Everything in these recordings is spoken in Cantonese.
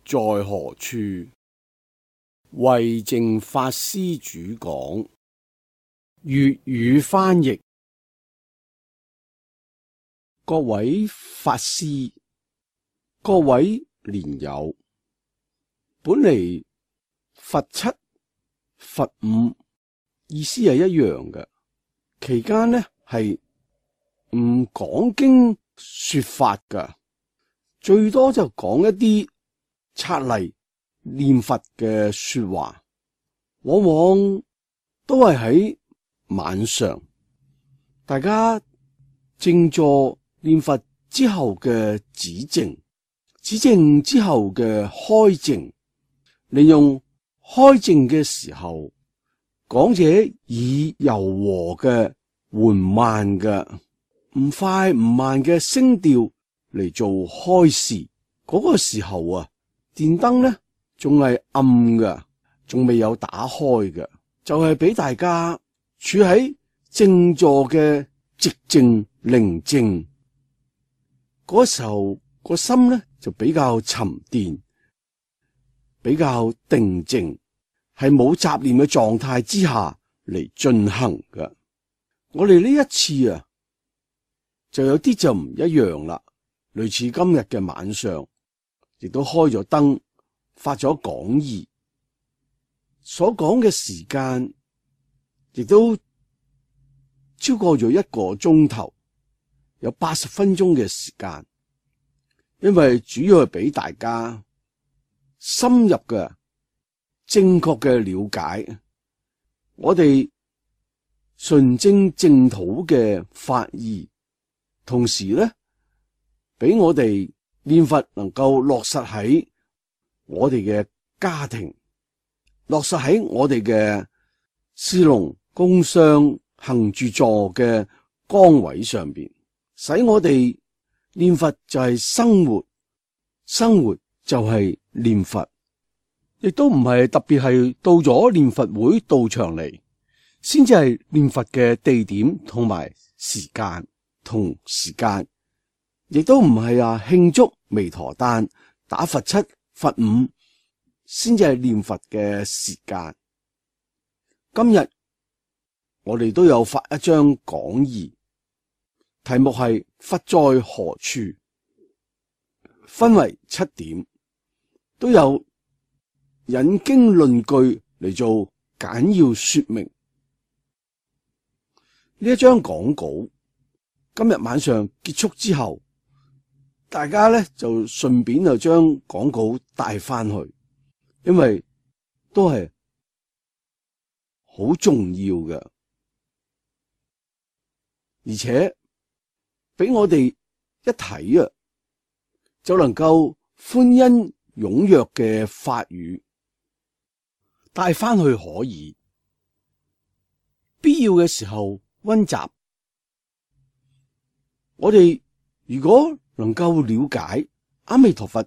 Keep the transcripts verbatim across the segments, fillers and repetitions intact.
在何處？慧淨法師主講，粵語翻譯。各位法師，各位蓮友，本嚟佛七、佛五意思係一樣嘅，期間呢係唔講經說法噶，最多就講一啲策例念佛嘅說話，往往都係喺晚上，大家靜坐念佛之後嘅止靜，止靜之後嘅開靜，利用開靜嘅時候，講者以柔和嘅緩慢嘅唔快唔慢嘅聲調嚟做開示。嗰、那個時候啊，電燈呢仲係暗嘅，仲未有打開嘅，就係、是、俾大家處喺靜坐嘅寂靜寧靜。嗰時候個心呢就比較沉澱，比較定靜，係冇雜念嘅狀態之下嚟進行嘅。我哋呢一次啊，就有啲就唔一樣啦。類似今日嘅晚上，亦都開咗燈，發咗講義，所講嘅時間亦都超過咗一個鐘頭。有八十分鐘嘅時間，因為主要係俾大家深入嘅、正確嘅了解我哋純正淨土嘅法義，同時咧，俾我哋念佛能夠落實喺我哋嘅家庭，落實喺我哋嘅事農工商行住坐嘅崗位上邊。使我哋念佛就係生活，生活就係念佛，亦都唔係特別係到咗念佛會到場嚟，先至係念佛嘅地點同埋時間同時間，亦都唔係啊慶祝彌陀誕打佛七佛五先至係念佛嘅時間。今日我哋都有發一張講義，題目係佛在何處，分為七點，都有引經論據嚟做簡要說明。呢一張講稿今日晚上結束之後，大家咧就順便就將講稿帶翻去，因為都係好重要嘅，而且俾我哋一睇啊，就能夠歡欣踴躍嘅法語帶翻去可以，必要嘅時候溫習。我哋如果能夠了解阿彌陀佛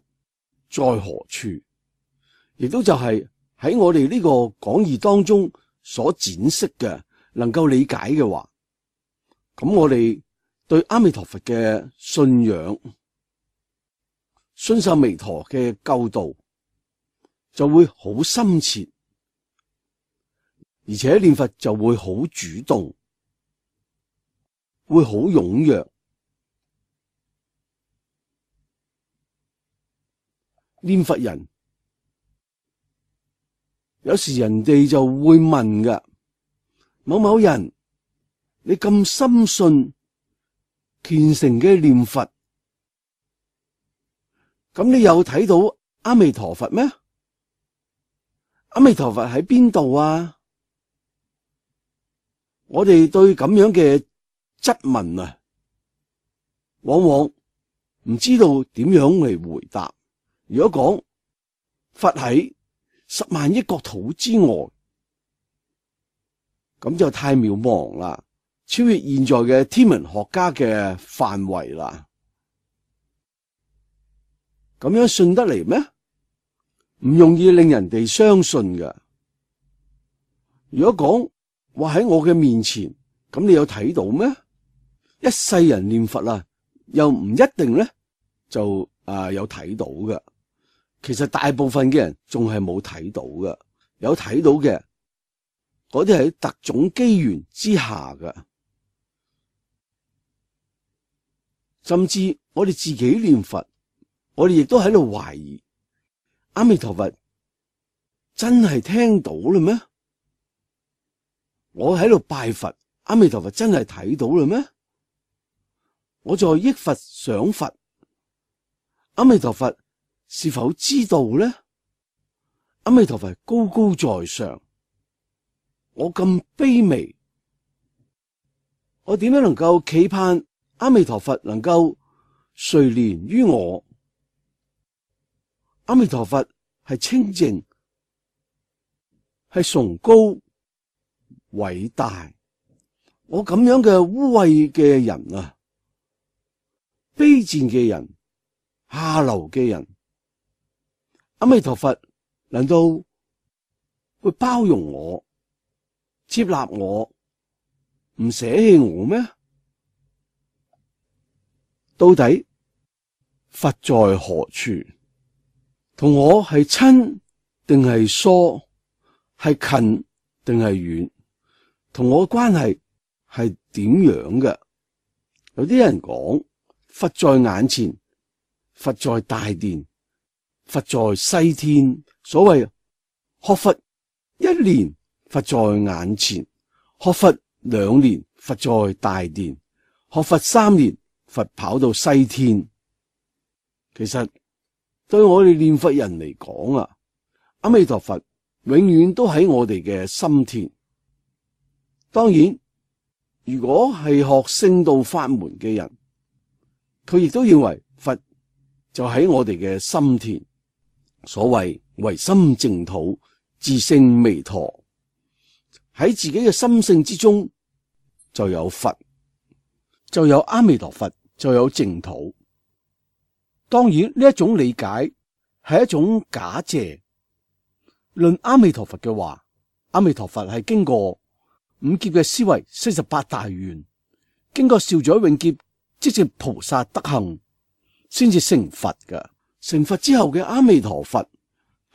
在何處，亦都就係喺我哋呢個講義當中所展示嘅，能夠理解嘅話，咁我哋對阿彌陀佛嘅信仰、信受彌陀嘅救度就會好深切，而且念佛就會好主動，會好踴躍。念佛人有時人哋就會問㗎，某某人，你咁深信虔誠嘅念佛，咁你有睇到阿彌陀佛咩？阿彌陀佛喺邊度啊？我哋對咁樣嘅質問啊，往往唔知道點樣嚟回答。如果講佛喺十萬億國土之外，咁就太渺茫啦，超越現在嘅天文學家嘅範圍啦。咁樣信得嚟咩？唔容易令人哋相信嘅。如果講話喺我嘅面前，咁你有睇到咩？一世人念佛啊，又唔一定咧就啊有睇到嘅。其實大部分嘅人仲係冇睇到嘅，有睇到嘅嗰啲係特種機緣之下嘅，甚至我哋自己念佛，我哋亦都喺度懷疑阿彌陀佛真係聽到啦咩？我喺度拜佛，阿彌陀佛真係睇到啦咩？我在憶佛想佛，阿彌陀佛是否知道呢？阿彌陀佛高高在上，我咁卑微，我點樣能夠期盼阿彌陀佛能夠垂憐於我？阿彌陀佛係清淨，係崇高偉大，我咁樣嘅污穢嘅人啊，卑賤嘅人，下流嘅人，阿彌陀佛難道會包容我、接納我、唔捨棄我咩？到底佛在何處？同我係親定係疏？係近定係遠？同我嘅關係係點樣嘅？有啲人講佛在眼前，佛在大殿，佛在西天。所謂學佛一年，佛在眼前；學佛兩年，佛在大殿；學佛三年，佛跑到西天。其實對我哋念佛人嚟講啊，阿彌陀佛永遠都喺我哋嘅心田。當然，如果係學聖道法門嘅人，佢亦都認為佛就喺我哋嘅心田。所謂唯心淨土，自性彌陀，喺自己嘅心性之中就有佛，就有阿彌陀佛，就有淨土。當然呢一種理解係一種假借。論阿彌陀佛嘅話，阿彌陀佛係經過五劫嘅思維，四十八大願，經過兆載永劫，即是菩薩德行，先至成佛嘅。成佛之後嘅阿彌陀佛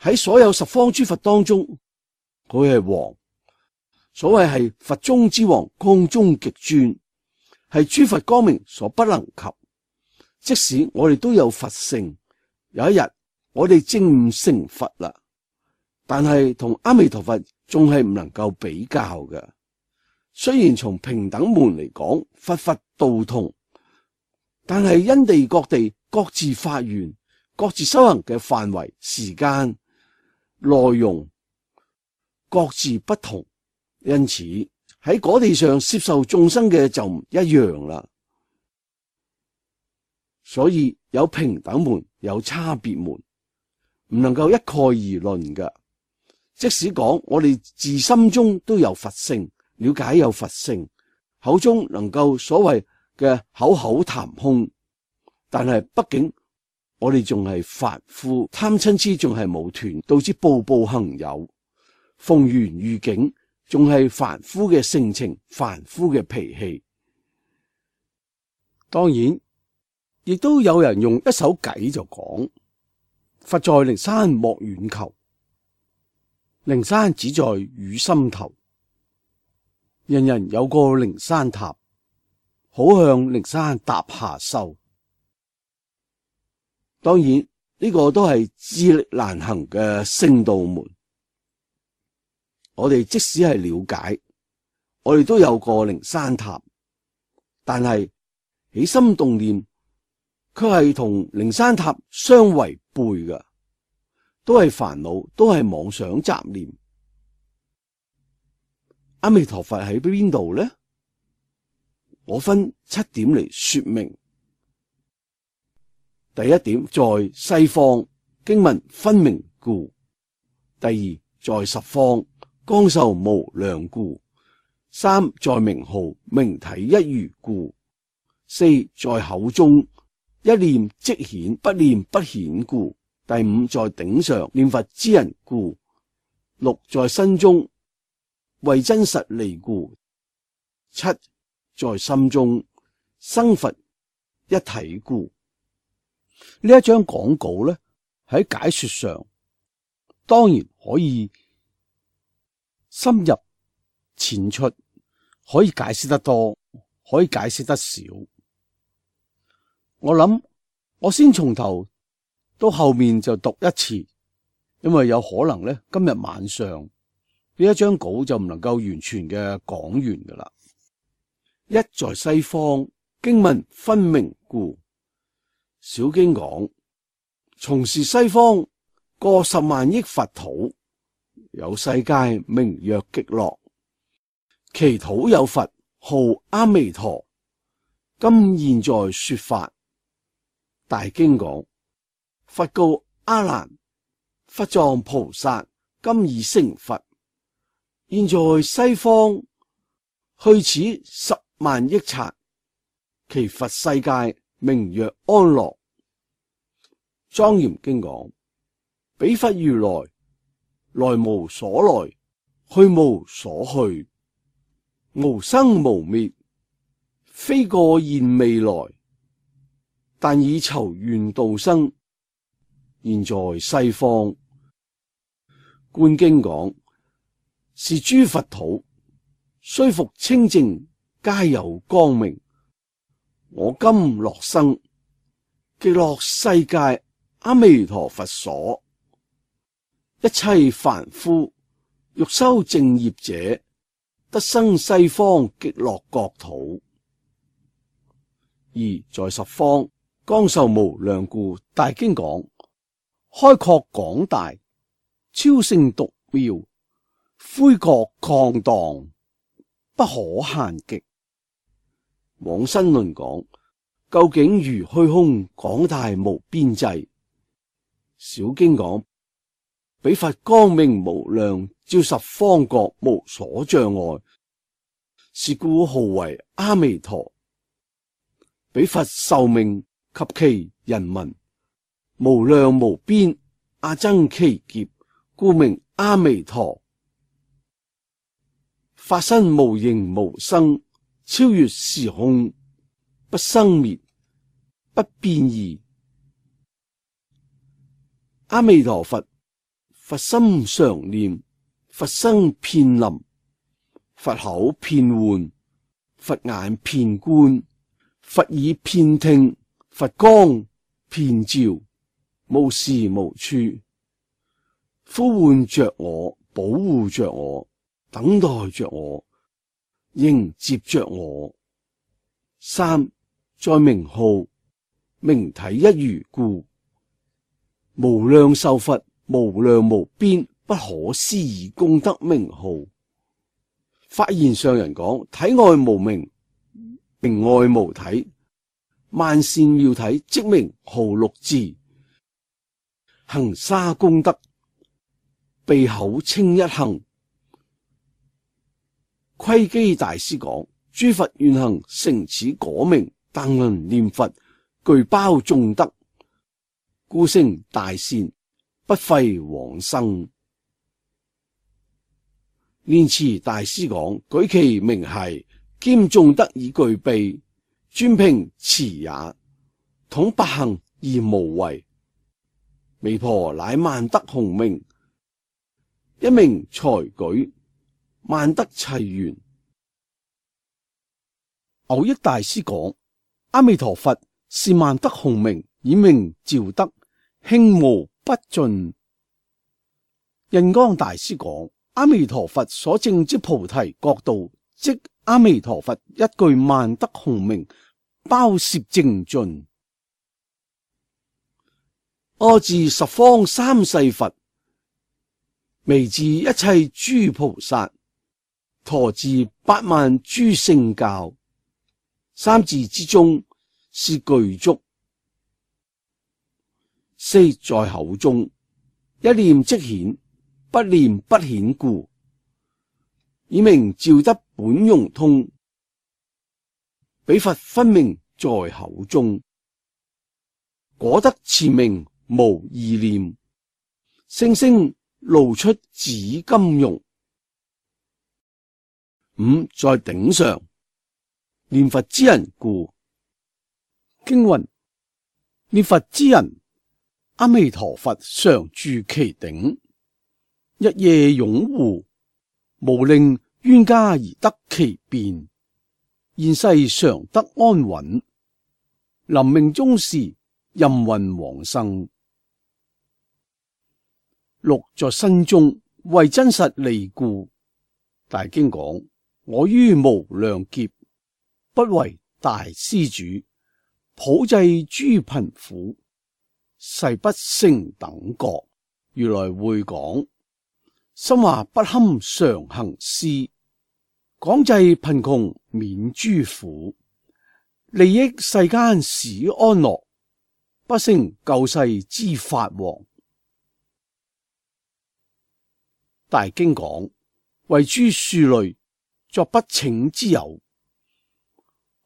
喺所有十方諸佛當中，佢係王。所謂係佛中之王，光中極尊，係諸佛光明所不能及。即使我哋都有佛性，有一日我哋證悟成佛啦，但係同阿彌陀佛仲係唔能夠比較嘅。雖然從平等門嚟講，佛佛道同，但係因地各地各自發願，各自修行嘅範圍、時間、內容各自不同，因此喺果地上接受眾生嘅就唔一樣啦。所以有平等門，有差別門，唔能夠一概而論嘅。即使講我哋自心中都有佛性，了解有佛性，口中能夠所謂嘅口口談空，但係畢竟我哋仲係凡夫，貪嗔癡仲係冇斷，導致步步行有，逢緣遇境仲係凡夫嘅性情，凡夫嘅脾氣。當然亦都有人用一首偈就講，佛在靈山莫遠求，靈山只在汝心頭。人人有個靈山塔，好向靈山踏下修。當然呢、這個都係自力難行嘅聖道門。我哋即使係了解，我哋都有個靈山塔，但係起心動念卻係同靈山塔相違背嘅，都係煩惱，都係妄想雜念。阿彌陀佛喺邊度呢？我分七點嚟說明。第一點，在西方經文分明故；第二，在十方光壽無量故；三，在名號明體一如故；四，在口中一念即顯，不念不顯故；第五，在頂上念佛之人故；六，在身中為真實利故；七，在心中生佛一體故。呢一張講稿咧，喺解說上，當然可以深入淺出，可以解釋得多，可以解釋得少。我諗我先從頭到後面就讀一次，因為有可能咧今日晚上呢一張稿就唔能夠完全嘅講完噶啦。一在西方，經文分明故。小經講，從是西方過十萬億佛土，有世界名曰極樂，其土有佛號阿彌陀，今現在說法。大經講，佛告阿難，佛藏菩薩今已成佛，現在西方去此十萬億剎，其佛世界名曰安樂。莊嚴經講，彼佛如來，來無所來，去無所去，無生無滅，非過現未來，但以籌願度生，現在西方。觀經講，是諸佛土，雖復清淨，皆有光明。我今樂生，極樂世界阿彌陀佛所。一切凡夫欲修正業者，得生西方極樂國土。而在十方光壽無量故。大經講，開闊廣大，超勝獨妙，恢覺曠蕩，不可限極。往生論講，究竟如虛空廣大無邊際。小經講，彼佛光明無量，照十方國無所障礙，是故號為阿彌陀。彼佛壽命及其人民，無量無邊，阿僧祇劫，故名阿彌陀。法身無形無生，超越時空，不生滅，不變異。阿彌陀佛，佛心常念，佛身遍臨，佛口遍喚，佛眼遍觀，佛耳遍聽，佛光遍照，無時無處，呼喚着我，保護着我，等待着我，迎接着我。三，在名號名體一如故。無量壽佛，無量無邊，不可思議功德名號。發現上人講，體外無名，名外無體，萬善妙體，即名號六字。行沙功德，鼻口稱一行。窺基大師講，諸佛願行成此果名，但能念佛，具包眾德，故成大善，不廢往生。蓮池大師講，舉其名係，兼眾德已具備，專憑持也，統百行而無違。彌婆乃萬德洪名，一名才舉，萬德齊圓。蕅益大師講，阿彌陀佛是萬德洪名，以名召德，興無不盡。印光大師講，阿彌陀佛所證之菩提國度，即阿彌陀佛一句萬德洪名，包攝淨盡。阿字十方三世佛，彌字一切諸菩薩，陀字八萬諸聖教。三字之中是具足。四，在口中，一念即顯，不念不顯故，以名召得本融通。彼佛分明在口中，果得持名無異念，聲聲露出紫金容。五，在頂上，念佛之人故。經云，念佛之人，阿彌陀佛常住其頂，日夜擁護，無令冤家而得其便。現世常得安穩，臨命終時任運往生。六在身中為真實利故，大經講：我於無量劫不為大施主，普濟諸貧苦，誓不成等覺。如來會講：心話不堪常行施，廣濟貧窮免諸苦，利益世間使安樂，不勝救世之法王。大經講：為諸庶類作不請之友，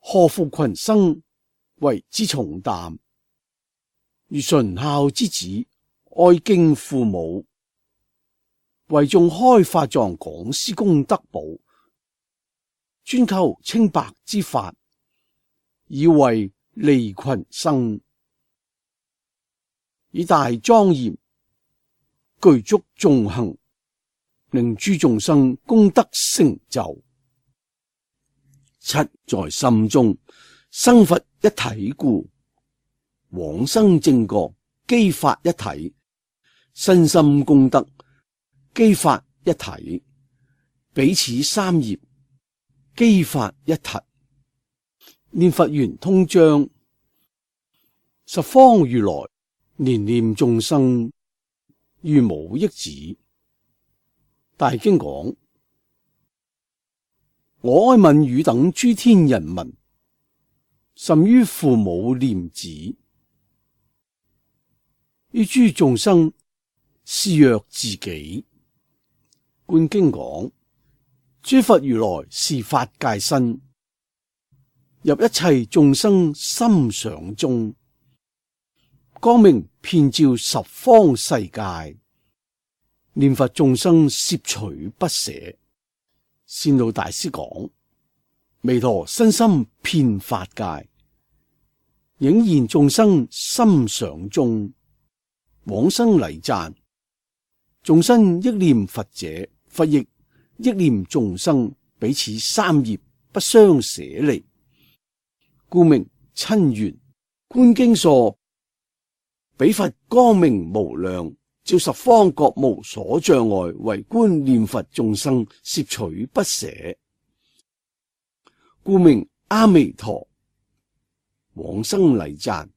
何負群生為之重擔？如純孝之子，愛敬父母，為眾開法藏講施功德寶，專求清白之法，以為利群生，以大莊嚴具足眾行，令諸眾生功德成就。七在心中生佛一體故，往生正覺機法一體，身心功德機法一體，彼此三業機法一體。念佛圓通章，十方如來憐念眾生如母憶子。大經講：我哀憫汝等諸天人民，甚於父母念子，於諸眾生視若自己。觀經講：諸佛如來是法界身，入一切眾生心想中，光明遍照十方世界，念佛眾生攝取不捨。善導大師講：彌陀身心遍法界，映現眾生心想中，往生禮讚。眾生憶念佛者，佛亦憶念眾生，彼此三業不相捨離，故名親緣。觀經說：彼佛光明無量，照十方國無所障礙，唯觀念佛眾生攝取不捨，故名阿彌陀。往生禮讚。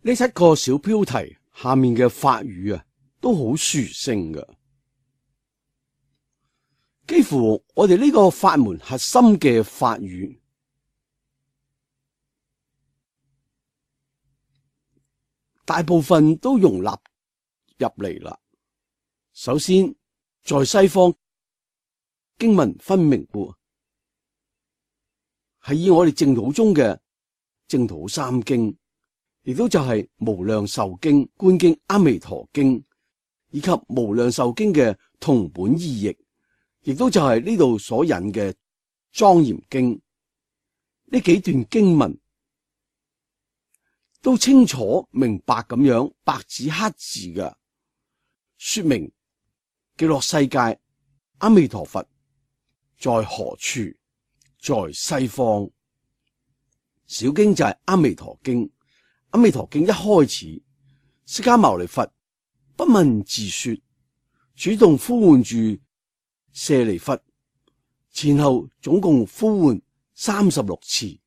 呢七個小標題下面嘅法語啊，都好殊勝㗎，幾乎我哋呢個法門核心嘅法語，大部分都容納入嚟啦。首先，在西方經文分明喎，係以我哋淨土中嘅淨土三經，亦都就係無量壽經、觀經、阿彌陀經，以及無量壽經嘅同本異譯，亦都就係呢度所引嘅莊嚴經。呢幾段經文都清楚明白咁樣白紙黑字嘅說明極樂世界阿彌陀佛在何處，在西方。小經就係阿彌陀經。阿彌陀經一開始，釋迦牟尼佛不問自說，主動呼喚住舍利弗，前後總共呼喚三十六次，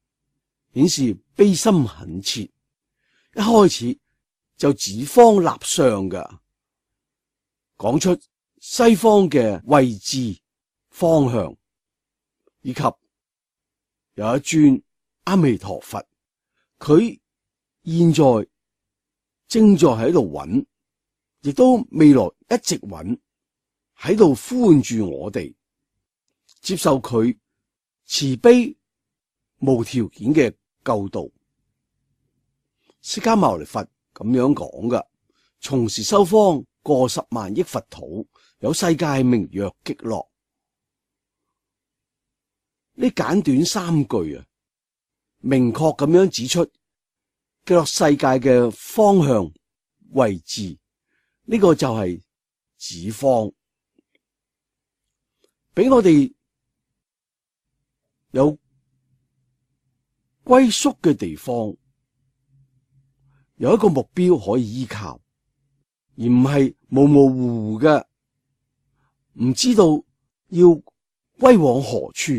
顯示悲心懇切。一開始就指方立相㗎，講出西方嘅位置方向，以及有一尊阿彌陀佛，佢現在正在喺度揾，亦都未來一直揾，喺度呼喚住我哋接受佢慈悲無條件嘅救度。釋迦牟尼佛咁樣講㗎：從時修方過十萬億佛土，有世界名曰極樂。呢簡短三句啊，明確咁樣指出極樂世界嘅方向位置，呢個就係指方，俾我哋有歸宿嘅地方，有一個目標可以依靠，而唔係模模糊糊嘅，唔知道要歸往何處。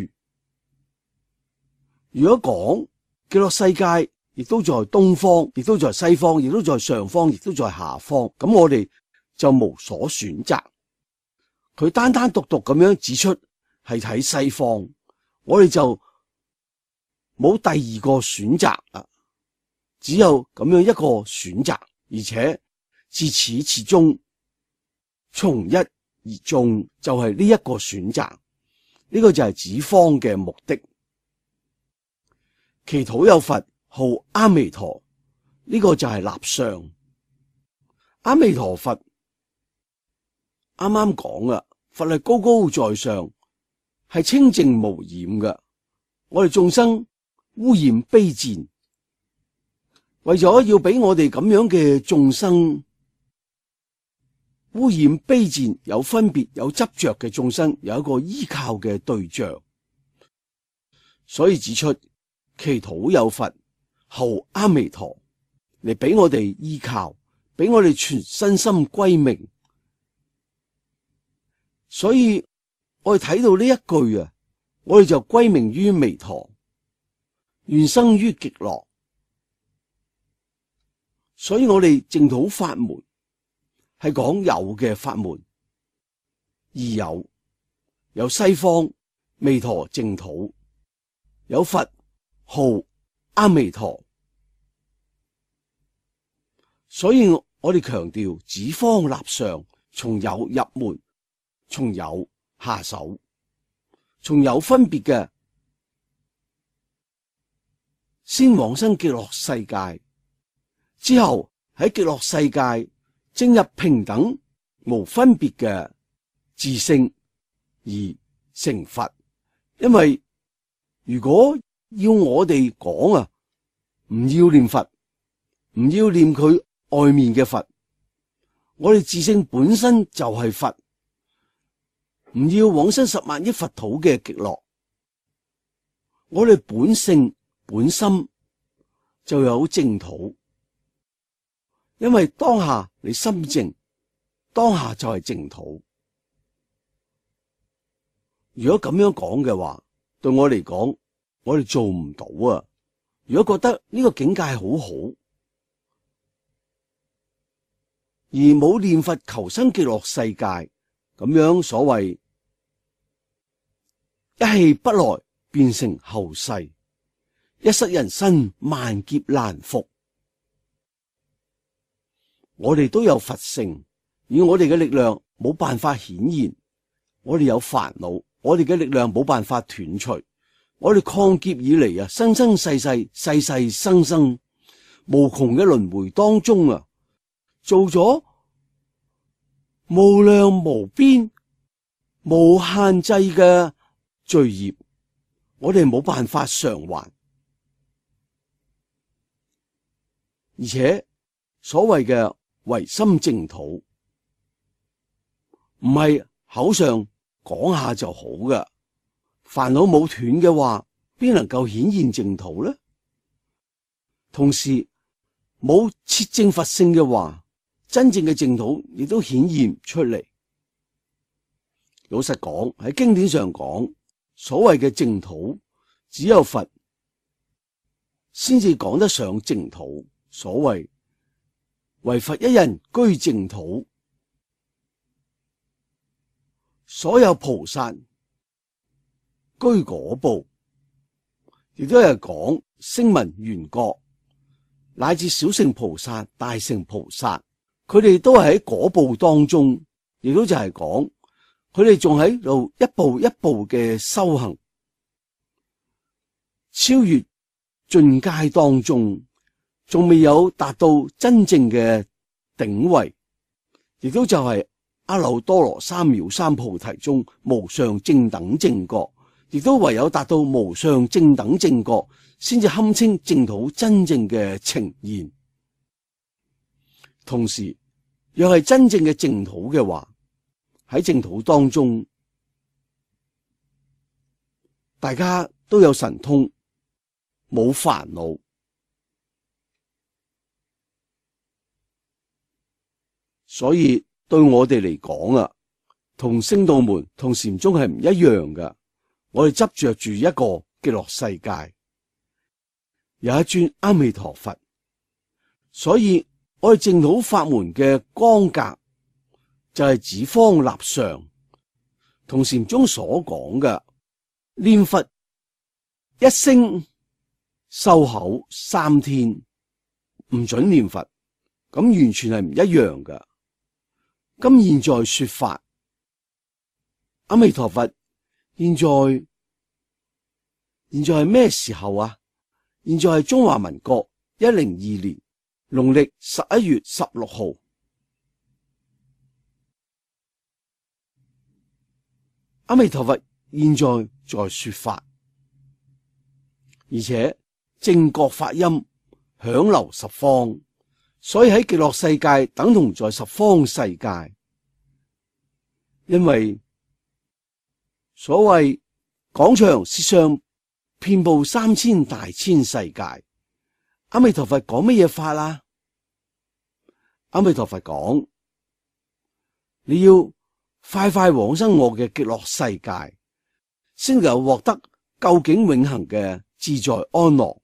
如果講極樂世界亦都在東方，亦都在西方，亦都在上方，亦都在下方，咁我哋就無所選擇。佢單單獨獨咁樣指出係喺西方，我哋就冇第二個選擇啦，只有咁樣一個選擇，而且自始至終從一而終，就係呢一個選擇。呢個就係指方嘅目的。祈禱有佛號阿彌陀，呢個就係立相。阿彌陀佛啱啱講啦，佛係高高在上，係清淨無染嘅。我哋眾生污染卑賤，為咗要俾我哋咁樣嘅眾生污染卑賤，有分別有執着嘅眾生有一個依靠嘅對象，所以指出祈禱有佛號阿彌陀嚟俾我哋依靠，俾我哋全身心歸命。所以我哋睇到呢一句啊，我哋就歸命於彌陀，願生於極樂。所以我哋淨土法門係講有嘅法門，而有有西方彌陀淨土，有佛號阿彌陀。所以我哋強調指方立相，從有入門，從有下手，從有分別嘅先往生極樂世界，之後喺極樂世界正入平等無分別嘅自性而成佛。因為如果要我哋講啊，唔要念佛，唔要念佢外面嘅佛，我哋自性本身就係佛，唔要往生十萬億佛土嘅極樂，我哋本性本心就有淨土。因為當下你心淨，當下就係淨土。如果咁樣講嘅話，對我嚟講，我哋做唔到啊！如果覺得呢個境界好好，而冇念佛求生極樂世界，咁樣所謂一氣不來變成後世，一失人身萬劫難復。我哋都有佛性，以我哋嘅力量冇辦法顯現，我哋有煩惱，我哋嘅力量冇辦法斷除。我哋抗劫以嚟啊，生生世世世世生生無窮嘅輪迴當中啊，做咗無量無邊無限制嘅罪業，我哋冇辦法償還。而且所謂嘅唯心淨土，唔係口上講下就好嘅。煩惱冇斷嘅話，邊能夠顯現淨土呢？同時冇切證佛性嘅話，真正嘅淨土亦都顯現唔出嚟。老實講，喺經典上講，所謂嘅淨土，只有佛先至講得上淨土。所謂唯佛一人居淨土，所有菩薩居果部，亦都係講聲聞緣覺，乃至小乘菩薩、大乘菩薩，佢哋都係喺果部當中，亦都就係講佢哋仲喺度一步一步嘅修行，超越進階當中，仲未有達到真正嘅頂位，亦都就係阿耨多羅三藐三菩提中無上正等正覺。亦都唯有達到無上正等正覺，先至堪稱淨土真正嘅呈現。同時，若係真正嘅淨土嘅話，喺淨土當中，大家都有神通，冇煩惱，所以對我哋嚟講啊，同聖道門同禪宗係唔一樣㗎。我哋執着住一個極樂世界，有一尊阿彌陀佛，所以我哋淨土法門嘅光格就係指方立上，同禪宗所講嘅念佛一聲收口三天，唔准念佛，咁完全係唔一樣㗎。咁現在說法，阿彌陀佛，現在現在係咩時候啊？現在係中華民國一零二年農曆十一月十六號。阿彌陀佛現在在說法，而且正覺法音響流十方，所以喺極樂世界等同在十方世界。因為所謂廣長舌相遍布三千大千世界，阿彌陀佛講乜嘢法啊？阿彌陀佛講，你要快快往生我嘅極樂世界，先能夠獲得究竟永恆嘅自在安樂。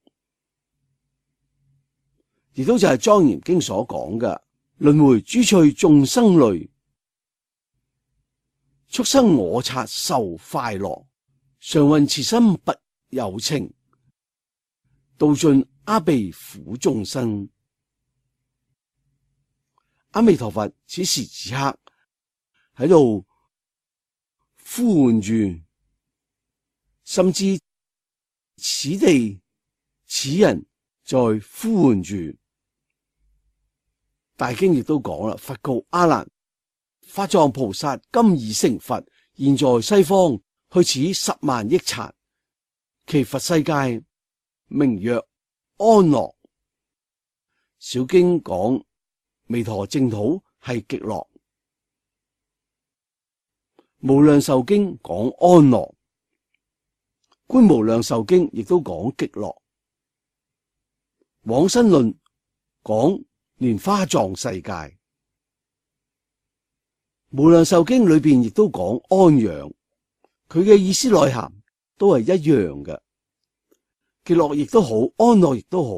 亦都就係莊嚴經所講嘅輪迴諸趣眾生類，畜生我剎受快樂，常運慈心不有情，度盡阿鼻苦眾生。阿彌陀佛此時此刻喺度呼喚住，甚至此地此人在呼喚住。大經亦都講啦，佛告阿難：法藏菩薩今已成佛，現在西方去此十萬億剎，其佛世界名曰安樂。小經講彌陀淨土係極樂，無量壽經講安樂，觀無量壽經亦都講極樂，往生論講蓮花藏世界，無量壽經裏邊亦都講安養，佢嘅意思內涵都係一樣嘅。極樂亦都好，安樂亦都好，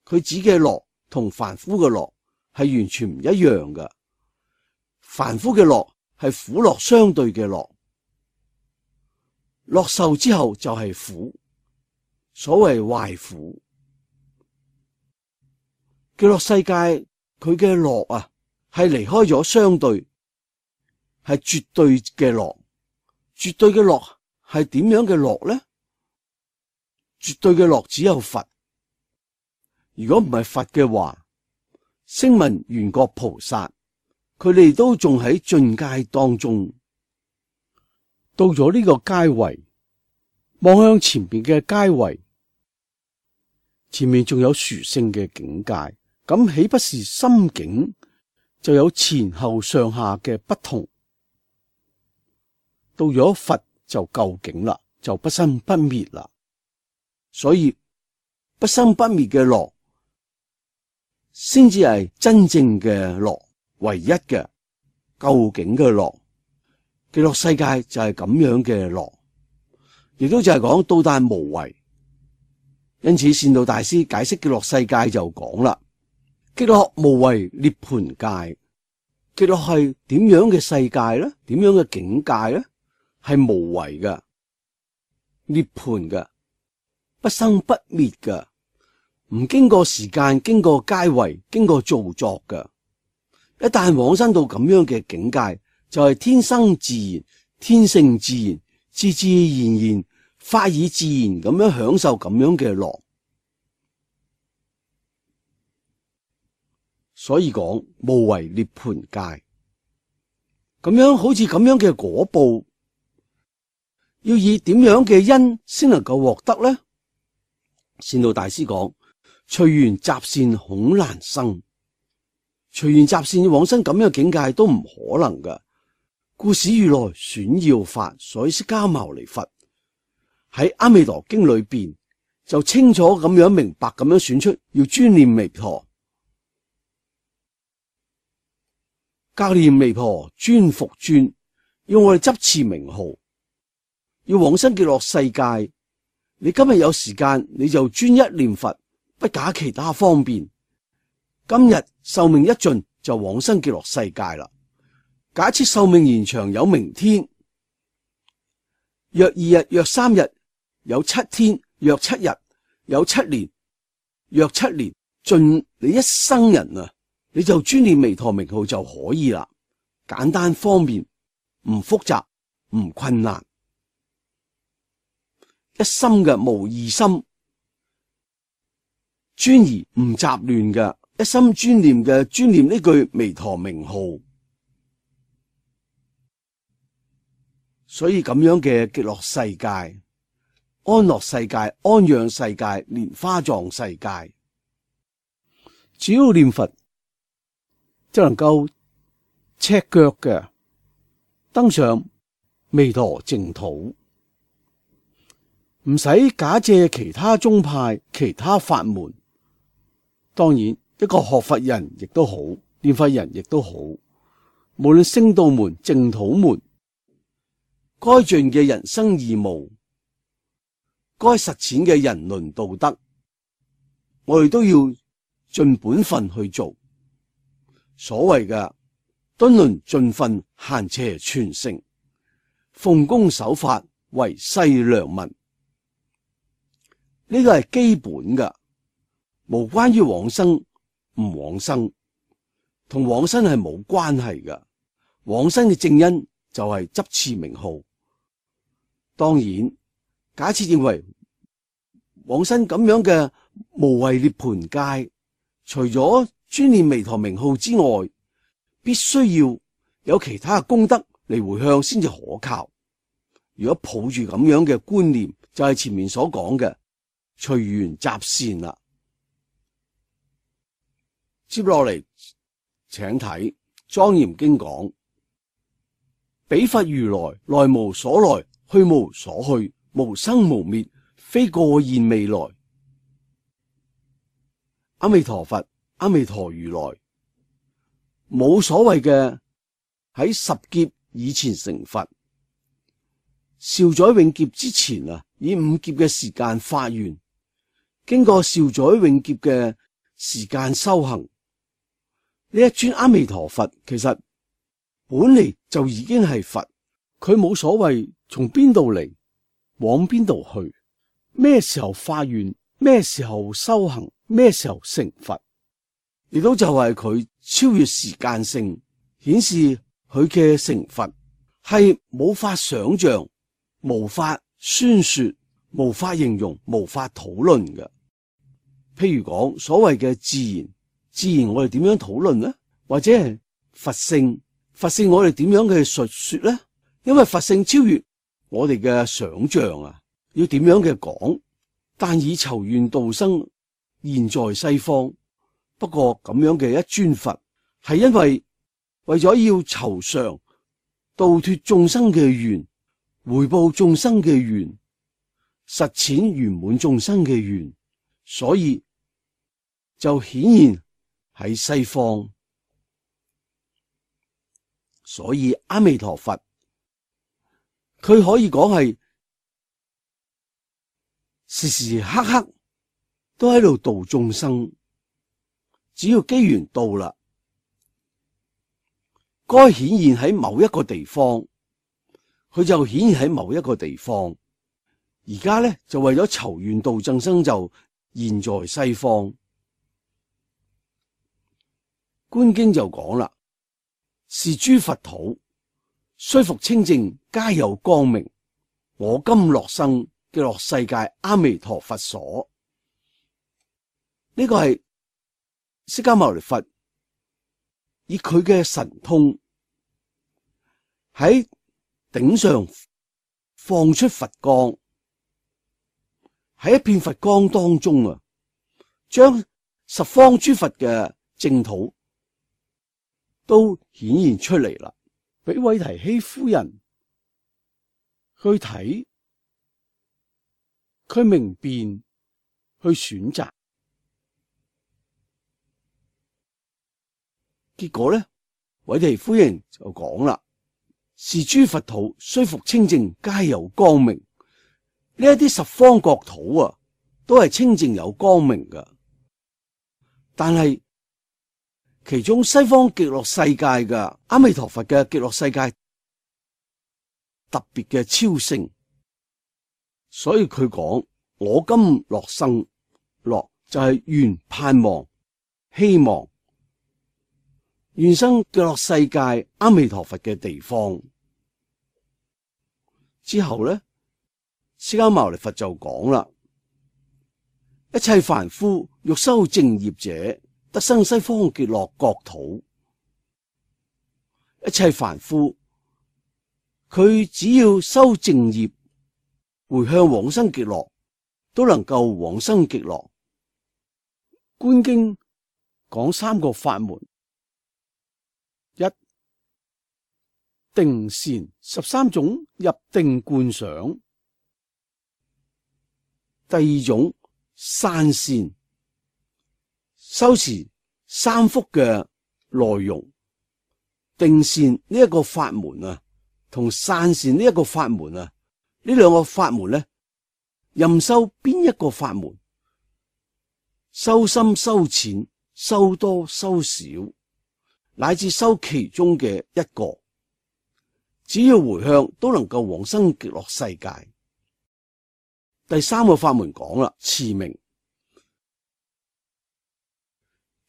佢指嘅樂同凡夫嘅樂係完全唔一樣嘅。凡夫嘅樂係苦樂相對嘅樂，樂受之後就係苦，所謂壞苦。極樂世界佢嘅樂啊，係離開咗相對，係絕對嘅樂。絕對嘅樂係點樣嘅樂呢？絕對嘅樂只有佛。如果唔係佛嘅話，聲聞緣覺菩薩佢哋都仲喺進階當中。到咗呢個階位，望向前邊嘅階位，前面仲有殊勝嘅境界，咁豈不是心境就有前後上下嘅不同？到咗佛就究竟啦，就不生不滅啦。所以不生不滅嘅樂先至係真正嘅樂，唯一嘅究竟嘅樂。極樂世界就係咁樣嘅樂，亦都就係講到但無為。因此善導大師解釋極樂世界就講啦，極樂無為涅槃界。極樂係點樣嘅世界呢？點樣嘅境界呢？係無為嘅，涅槃嘅，不生不滅嘅，唔經過時間，經過階位，經過造作嘅。一旦往生到咁樣嘅境界，就係、是、天生自然、天性自然、自自然然、法以自然咁樣享受咁樣嘅樂。所以講無為涅槃界，咁樣好似咁樣嘅果報，要以點樣嘅因先能夠獲得呢？善導大師講：隨緣習善恐難生，隨緣習善往生咁樣嘅境界都唔可能㗎。故使如來選要法，所以釋迦牟尼佛喺阿彌陀經裏邊就清楚咁樣明白咁樣選出要專念彌陀，格念彌陀專復專，要我哋執持名號，要往生極樂世界。你今日有時間，你就專一念佛，不假其他方便。今日壽命一盡就往生極樂世界啦。假設壽命延長有明天，約二日，約三日，有七天，約七日，有七年，約七年，盡你一生人啊，你就專念彌陀名號就可以啦。簡單方便，唔複雜，唔困難，一心嘅無二心，專而唔雜亂嘅，一心專念嘅專念呢句彌陀名號。所以咁樣嘅極樂世界、安樂世界、安養世界、蓮花藏世界，只要念佛就能夠赤腳嘅登上彌陀淨土，唔使假借其他宗派、其他法門。當然，一個學佛人亦都好，念佛人亦都好，無論聖道門、淨土門，該盡嘅人生義務，該實踐嘅人倫道德，我哋都要盡本分去做。所謂嘅敦倫盡分，閒邪全成，奉公守法，為世良民，呢個係基本嘅，無關於往生唔往生，同往生係冇關係嘅。往生嘅正因就係執持名號。當然，假設認為往生咁樣嘅無為涅槃界，除咗專念彌陀名號之外，必須要有其他嘅功德嚟回向先至可靠。如果抱住咁樣嘅觀念，就係前面所講嘅隨緣習善啦。接落嚟，請睇《莊嚴經》講：彼佛如來，來無所來，去無所去，無生無滅，非過現未來。阿彌陀佛，阿彌陀如來，冇所謂嘅喺十劫以前成佛，兆載永劫之前啊，以五劫嘅時間發願，經過兆載永劫嘅時間修行，呢一尊阿彌陀佛其實本嚟就已經係佛，佢冇所謂從邊度嚟，往邊度去，咩時候發願，咩時候修行，咩時候成佛，亦都就係佢超越時間性，顯示佢嘅成佛係冇法想象、無法宣說、無法形容、無法討論嘅。譬如講所謂嘅自然，自然我哋點樣討論呢？或者係佛性，佛性我哋點樣嘅述說呢？因為佛性超越我哋嘅想象啊，要點樣嘅講？但以籌願度生現在西方，不過咁樣嘅一尊佛，係因為為咗要籌償度脫眾生嘅願，回報眾生嘅願，實踐圓滿眾生嘅願，所以就顯現喺西方。所以阿彌陀佛，佢可以講係時時刻刻都喺度度眾生，只要機緣到啦，該顯現喺某一個地方，佢就顯現喺某一個地方。而家咧就為咗籌願度眾生，就現在西方。觀經就講啦，是諸佛土，雖復清淨，皆有光明。我今樂生極樂世界阿彌陀佛所。呢個係釋迦牟尼佛以佢嘅神通喺頂上放出佛光，喺一片佛光當中啊，將十方諸佛嘅淨土都顯現出嚟啦，俾韋提希夫人去睇，佢明辨，去選擇。結果呢，韋提夫人就講啦：是諸佛土雖復清淨，皆有光明。呢一啲十方國土啊，都係清淨有光明噶。但係其中西方極樂世界嘅阿彌陀佛嘅極樂世界特別嘅超勝，所以佢講：我今樂生，樂就係願盼望希望願生極樂世界阿彌陀佛嘅地方。之後咧，釋迦牟尼佛就講啦：一切凡夫欲修淨業者，得生西方極樂國土。一切凡夫佢只要修淨業，回向往生極樂，都能夠往生極樂。觀經講三個法門：一、定善十三種入定觀想；第二種散善，修持三福嘅內容。定善呢一個法門啊，同散善呢一個法門啊，呢兩個法門咧，任修邊一個法門，修深修淺，修多修少，乃至修其中嘅一個，只要回向都能夠往生極樂世界。第三個法門講啦，持名，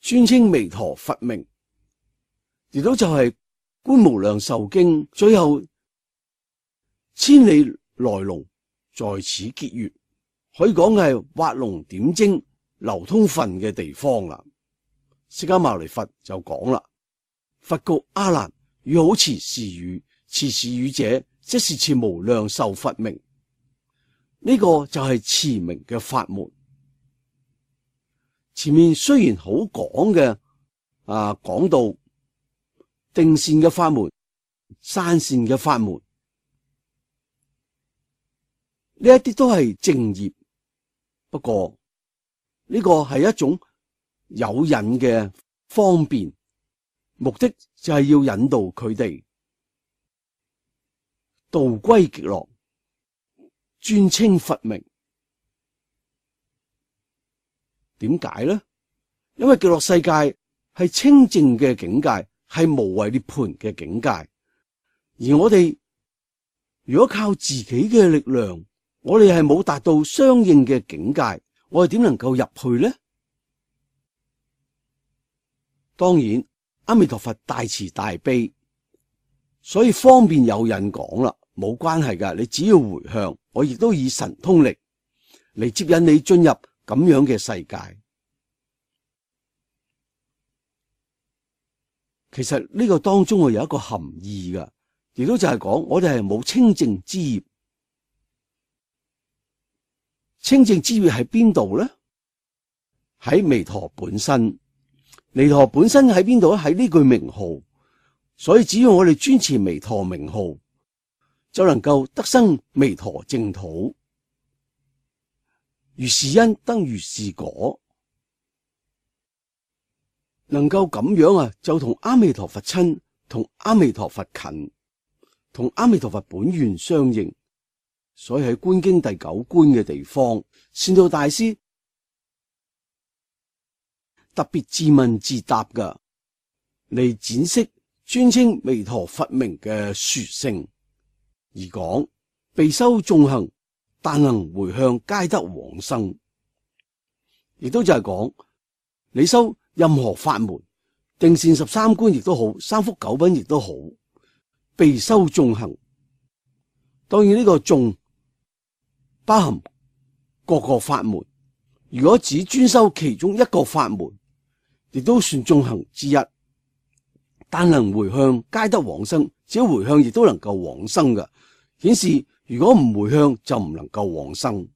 專稱彌陀佛名，亦都就係觀無量壽經最後千里來龍在此結緣，可以講係畫龍點睛、流通分嘅地方啦。釋迦牟尼佛就講啦：佛告阿難，汝好持是語，持是語者，即是持無量壽佛名。呢、這個就係持名嘅法門。前面雖然好講嘅啊，講到定善嘅法門、散善嘅法門，呢一啲都係正業。不過呢、這個係一種有引嘅方便，目的就係要引導佢哋道歸極樂，專稱佛名。點解呢？因為極樂世界係清淨嘅境界，係無為涅槃嘅境界。而我哋如果靠自己嘅力量，我哋係冇達到相應嘅境界，我哋點能夠入去呢？當然，阿彌陀佛大慈大悲，所以方便有人講啦，冇關係噶，你只要回向，我亦都以神通力嚟接引你進入咁樣嘅世界。其實呢個當中會有一個含義噶，亦都就係講我哋係冇清淨之業。清淨之業喺邊度呢？喺彌陀本身。彌陀本身喺邊度咧？喺呢句名號。所以只要我哋專持彌陀名號，就能夠得生彌陀淨土。如是因得如是果，能夠咁樣啊，就同阿彌陀佛親，同阿彌陀佛近，同阿彌陀佛本願相應。所以喺觀經第九觀嘅地方，善導大師特別自問自答噶，嚟展釋專稱彌陀佛名嘅殊勝，而講被修眾行，但能回向，皆得往生。亦都就係講你修任何法門，定善十三觀亦都好，三福九品亦都好，被修眾行。當然呢個眾包含各個法門，如果只專修其中一個法門，亦都算眾行之一。但能回向，皆得往生。只要回向，亦都能夠往生嘅，顯示如果唔回向，就唔能夠往生。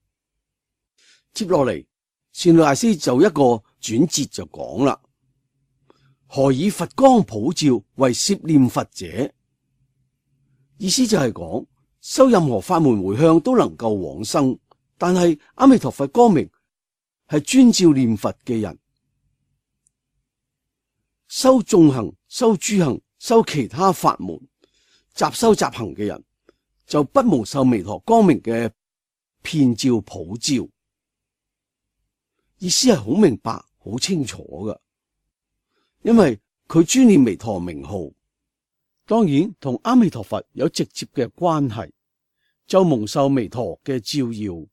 接落嚟，善導大師就一個轉折就講啦：何以佛光普照，為攝念佛者？意思就係講，修任何法門回向都能夠往生，但係阿彌陀佛光明係專照念佛嘅人，修眾行、修諸行、修其他法門、雜修雜行嘅人，就不蒙受彌陀光明嘅遍照普照。意思係好明白、好清楚㗎，因為佢專念彌陀名號，當然同阿彌陀佛有直接嘅關係，就蒙受彌陀嘅照耀，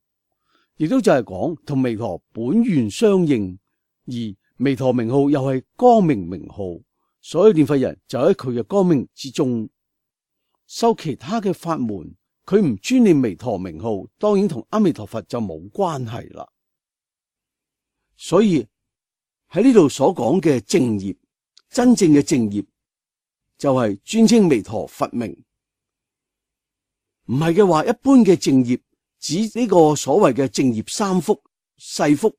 亦都就係講同彌陀本願相應，而彌陀名號又係光明名號，所以念佛人就喺佢嘅光明之中。修其他嘅法門，佢唔專念彌陀名號，當然同阿彌陀佛就冇關係啦。所以喺呢度所講嘅正業，真正嘅正業就係專稱彌陀佛名。唔係嘅話，一般嘅正業指呢個所謂嘅正業三福：世福、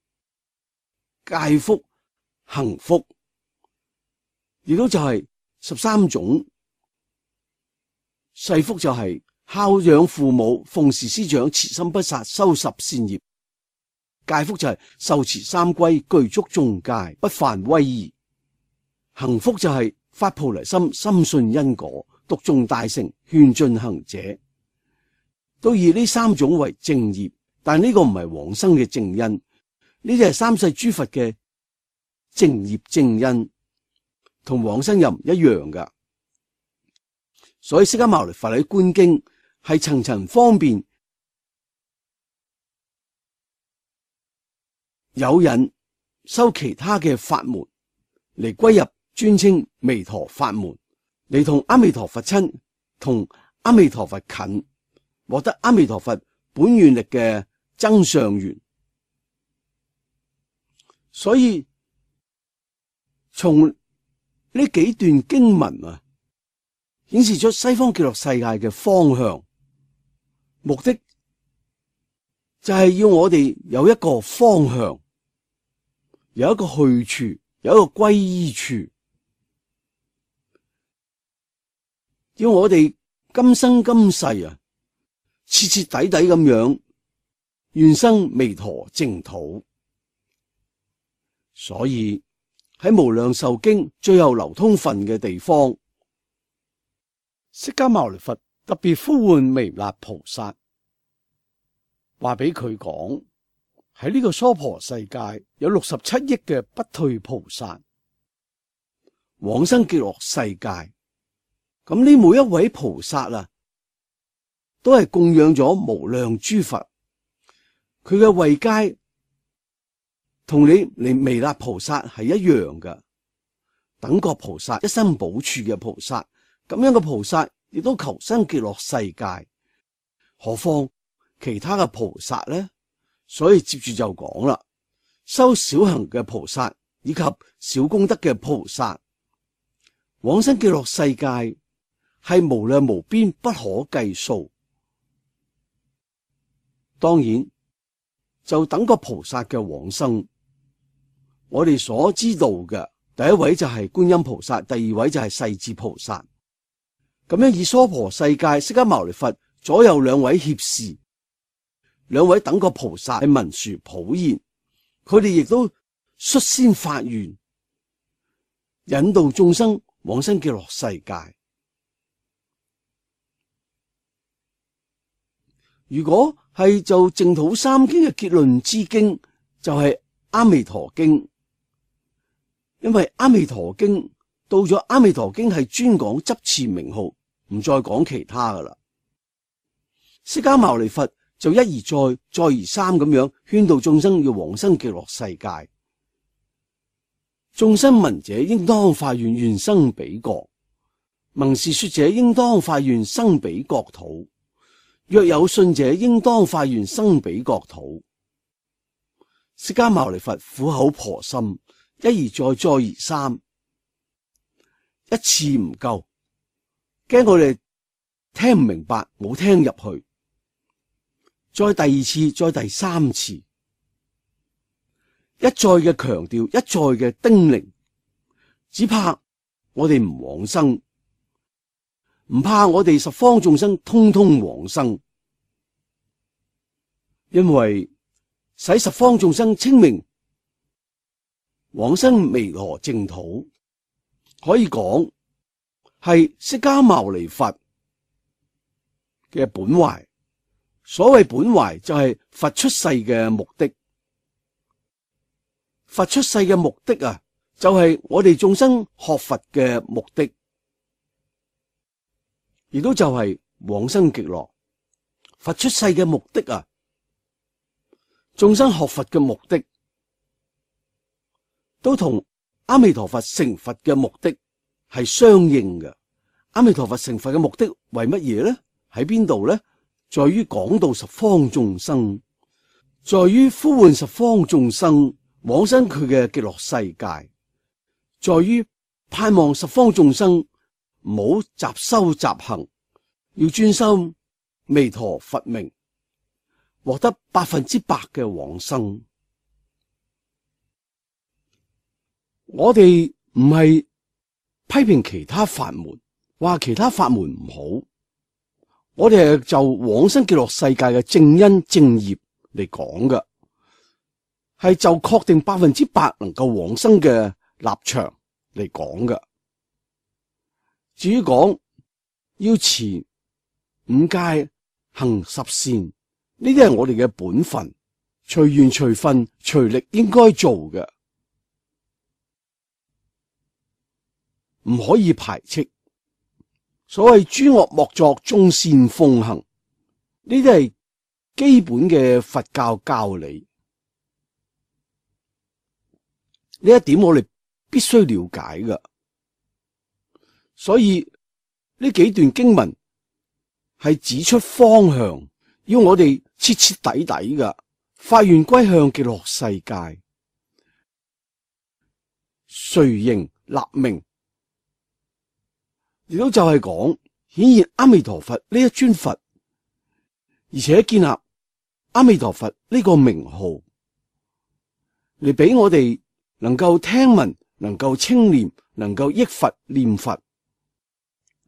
戒福、行福，亦都就係十三種。世福就係孝養父母、奉事師長、慈心不殺、修十善業。戒福就係受持三歸、具足眾戒、不犯威儀。行福就係發菩提心、深信因果、讀誦大乘、勸進行者，都以呢三種為正業。但呢個唔係往生嘅正因，呢啲係三世諸佛嘅正業正因，同往生又唔一樣噶。所以釋迦牟尼佛喺觀經係層層方便有人修其他嘅法門嚟歸入專稱彌陀法門，嚟同阿彌陀佛親，同阿彌陀佛近，獲得阿彌陀佛本願力嘅增上緣。所以從呢幾段經文啊，顯示出西方極樂世界嘅方向，目的就係要我哋有一個方向，有一個去處，有一個歸依處，要我哋今生今世啊，徹徹底底咁樣願生彌陀淨土。所以喺無量壽經最後流通分嘅地方，釋迦牟尼佛特別呼喚彌勒菩薩，話俾佢講，喺呢個娑婆世界有六十七億嘅不退菩薩往生極樂世界。咁呢每一位菩薩啊，都係供養咗無量諸佛，佢嘅位階同你嚟彌勒菩薩係一樣嘅。等覺菩薩一生補處嘅菩薩，咁樣嘅菩薩亦都求生極樂世界，何況其他嘅菩薩呢？所以接住就講啦，修小行嘅菩薩以及小功德嘅菩薩往生極樂世界係無量無邊，不可計數。當然就等覺菩薩嘅往生，我哋所知道嘅第一位就係觀音菩薩，第二位就係勢至菩薩。咁樣以娑婆世界釋迦牟尼佛左右兩位脅侍，兩位等覺菩薩係文殊普賢，佢哋亦都率先發願引導眾生往生極樂世界。如果係就淨土三經嘅結論之經，就係阿彌陀經。因為阿彌陀經到咗阿彌陀經係專講執持名號，唔再講其他噶啦。釋迦牟尼佛就一而再，再而三咁樣勸導眾生要往生極樂世界。眾生聞者應當發願，願生彼國；聞是說者應當發願，生彼國土；若有信者，應當發願，生彼國土。釋迦牟尼佛苦口婆心，一而再，再而三，一次唔夠，驚我哋聽唔明白，冇聽入去，再第二次，再第三次，一再嘅強調，一再嘅叮嚀，只怕我哋唔往生，唔怕我哋十方眾生通通往生，因為使十方眾生清明往生彌陀淨土，可以講係釋迦牟尼佛嘅本懷。所謂本懷就係佛出世嘅目的，佛出世嘅目的啊，就係我哋眾生學佛嘅目的，亦都就係往生極樂。佛出世嘅目的啊，眾生學佛嘅目的，都同阿彌陀佛成佛嘅目的係相應嘅。阿彌陀佛成佛嘅目的為乜嘢呢？喺邊度呢？在於講道十方眾生，在於呼喚十方眾生往生佢嘅極樂世界，在於盼望十方眾生唔好雜修雜行，要專心彌陀佛名，獲得百分之百嘅往生。我哋唔係批評其他法門，話其他法門唔好。我哋係就往生極樂世界嘅正因正業嚟講嘅，係就確定百分之百能夠往生嘅立場嚟講嘅。至於講要持五戒、行十善，呢啲係我哋嘅本分，隨緣隨分隨力應該做嘅，唔可以排斥。所謂諸惡莫作，眾善奉行，呢啲係基本嘅佛教教理。呢一點我哋必須了解㗎。所以呢幾段經文係指出方向，要我哋徹徹底底㗎發願歸向極樂世界，隨形立名。亦都就係講顯現阿彌陀佛呢一尊佛，而且建立阿彌陀佛呢個名號，嚟俾我哋能夠聽聞，能夠稱念，能夠憶佛念佛。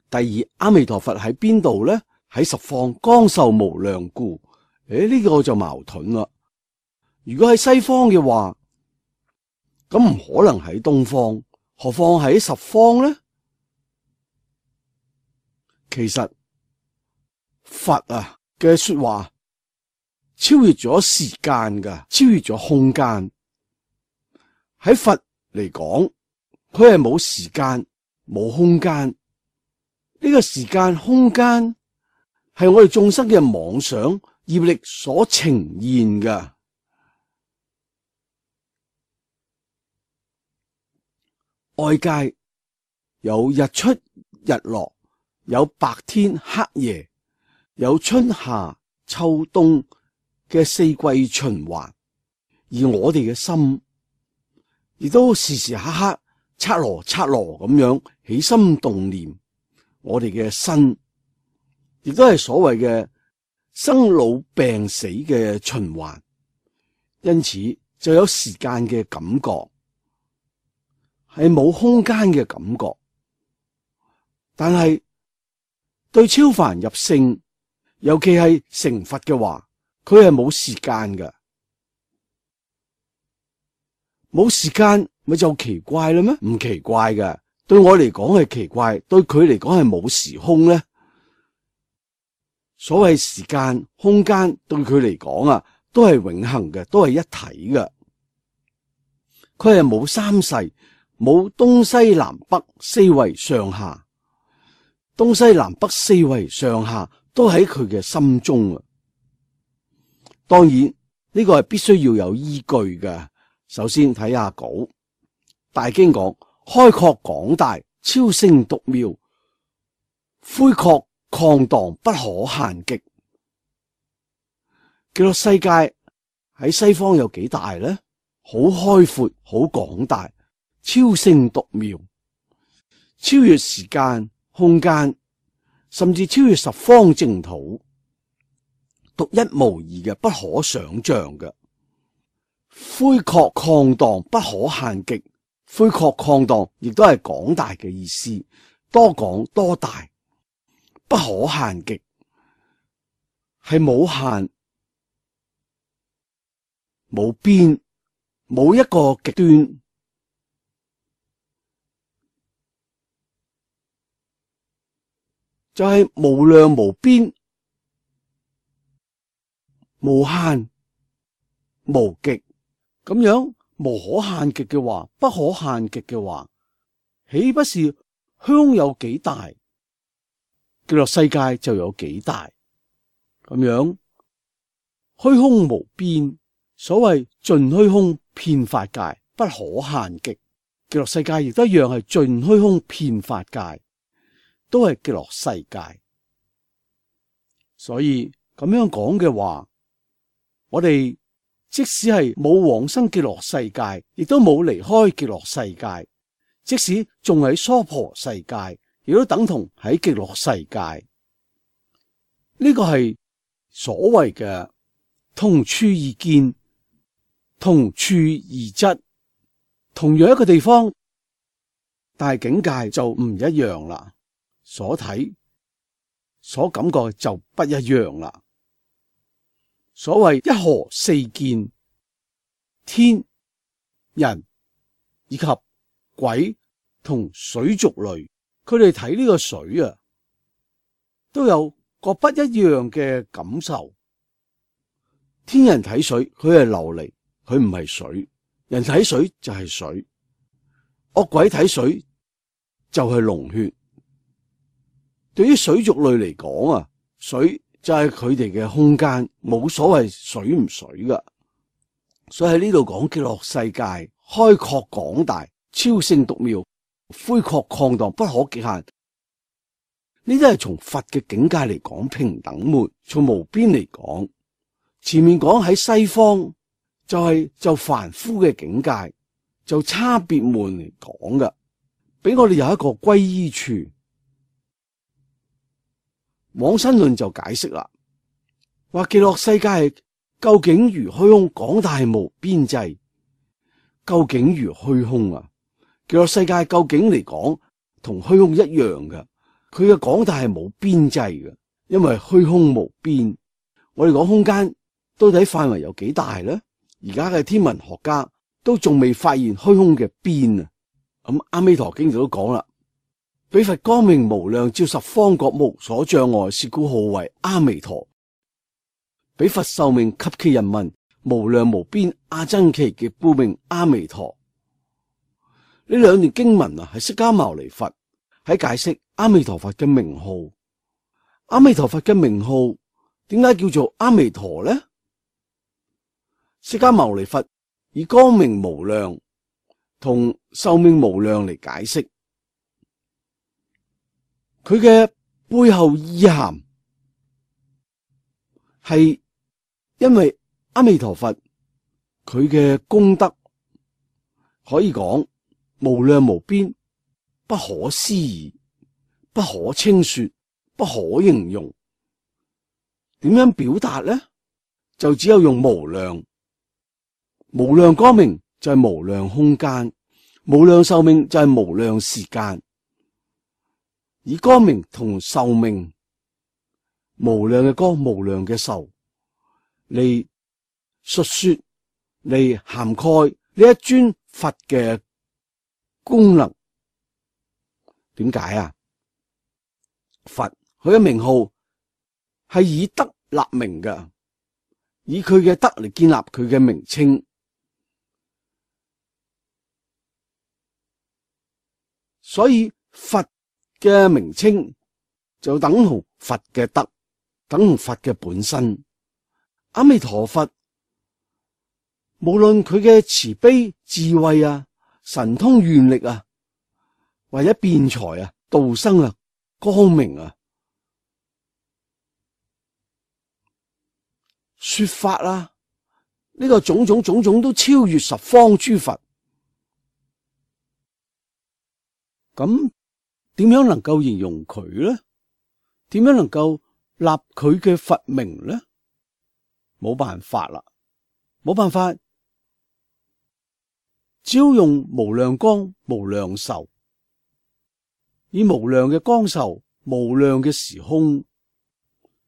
第二，阿彌陀佛喺邊度咧？喺十方光壽無量故。誒，呢個就矛盾啦。如果喺西方嘅話，咁唔可能喺東方，何況喺十方咧？其實佛啊嘅說話超越咗時間噶，超越咗空間。喺佛嚟講，佢係冇時間冇空間。呢個時間空間係我哋眾生嘅妄想業力所呈現噶。外界有日出日落，有白天黑夜，有春夏秋冬嘅四季循環，而我哋嘅心亦都時時刻刻剎羅剎羅咁樣起心動念。我哋嘅身亦都係所謂嘅生老病死嘅循環，因此就有時間嘅感覺，係冇空間嘅感覺。但係對超凡入聖，尤其係成佛嘅話，佢係冇時間嘅，冇時間咪就奇怪啦咩？唔奇怪嘅，對我嚟講係奇怪，對佢嚟講係冇時空咧。所謂時間空間對佢嚟講啊，都係永恆嘅，都係一體嘅。佢係冇三世，冇東西南北四維上下。東西南北四維上下都喺佢嘅心中啊！當然呢個係必須要有依據嘅。首先睇下稿，大經講開闊廣大，超勝獨妙，恢廓曠蕩，不可限極。極樂世界喺西方有幾大呢？好開闊，好廣大，超勝獨妙，超越時間空間，甚至超越十方淨土。獨一無二嘅，不可想象嘅。恢廓曠蕩，不可限極。恢廓曠蕩亦都係廣大嘅意思，多廣多大，不可限極，係冇限、冇邊、冇一個極端。就係無量無邊、無限、無極咁樣，無可限極嘅話，不可限極嘅話，豈不是虛空有幾大，極樂世界就有幾大？咁樣虛空無邊，所謂盡虛空遍法界，不可限極。極樂世界亦都一樣係盡虛空遍法界，都係極樂世界。所以咁樣講嘅話，我哋即使係冇往生極樂世界，亦都冇離開極樂世界，即使仲喺娑婆世界，亦都等同喺極樂世界。呢個係所謂嘅同處異見，同處異質，同樣一個地方，但係境界就唔一樣啦。所睇、所感覺就不一樣啦。所謂一河四見，天、人以及鬼同水族類，佢哋睇呢個水啊，都有個不一樣嘅感受。天人睇水，佢係琉璃，佢唔係水；人睇水就係水，惡鬼睇水就係龍血。對於水族類嚟講啊，水就係佢哋嘅空間，冇所謂水唔水噶。所以喺呢度講極樂世界開闊廣大，超勝獨妙，恢廓曠蕩，不可極限。呢啲係從佛嘅境界嚟講平等門，從無邊嚟講。前面講喺西方就係、是、就凡夫嘅境界，就差別門嚟講噶，俾我哋有一個歸依處。往生論就解釋啦，話極樂世界究竟如虛空廣大無邊際，究竟如虛空啊！極樂世界究竟嚟講同虛空一樣嘅，佢嘅廣大係冇邊際嘅，因為虛空無邊。我哋講空間到底範圍有幾大咧？而家嘅天文學家都仲未發現虛空嘅邊啊！咁阿彌陀經就都講啦。彼佛光明無量，照十方國，無所障礙，是故號為阿彌陀。彼佛壽命及其人民，無量無邊，阿僧祇，亦故名阿彌陀。呢兩段經文啊，係釋迦牟尼佛喺解釋阿彌陀佛嘅名號。阿彌陀佛嘅名號點解叫做阿彌陀呢？釋迦牟尼佛以光明無量同壽命無量嚟解釋。佢嘅背後意涵係因為阿彌陀佛佢嘅功德可以講無量無邊，不可思議，不可稱說，不可形容。點樣表達呢？就只有用無量。無量光明就係無量空間，無量壽命就係無量時間。以光明同壽命，無量嘅光，無量嘅壽嚟述說，嚟涵蓋呢一尊佛嘅功能。點解啊？佛佢嘅名號係以德立名嘅，以佢嘅德嚟建立佢嘅名稱。所以佛嘅名稱就等同佛嘅德，等同佛嘅本身。阿彌陀佛，無論佢嘅慈悲、智慧啊、神通、願力啊，或者辯才啊、度生啊、光明啊、說法啊，呢個種種種種都超越十方諸佛。咁點樣能夠形容佢呢？點樣能夠立佢嘅佛名呢？冇辦法啦，冇辦法，只要用無量光、無量壽，以無量嘅光壽、無量嘅時空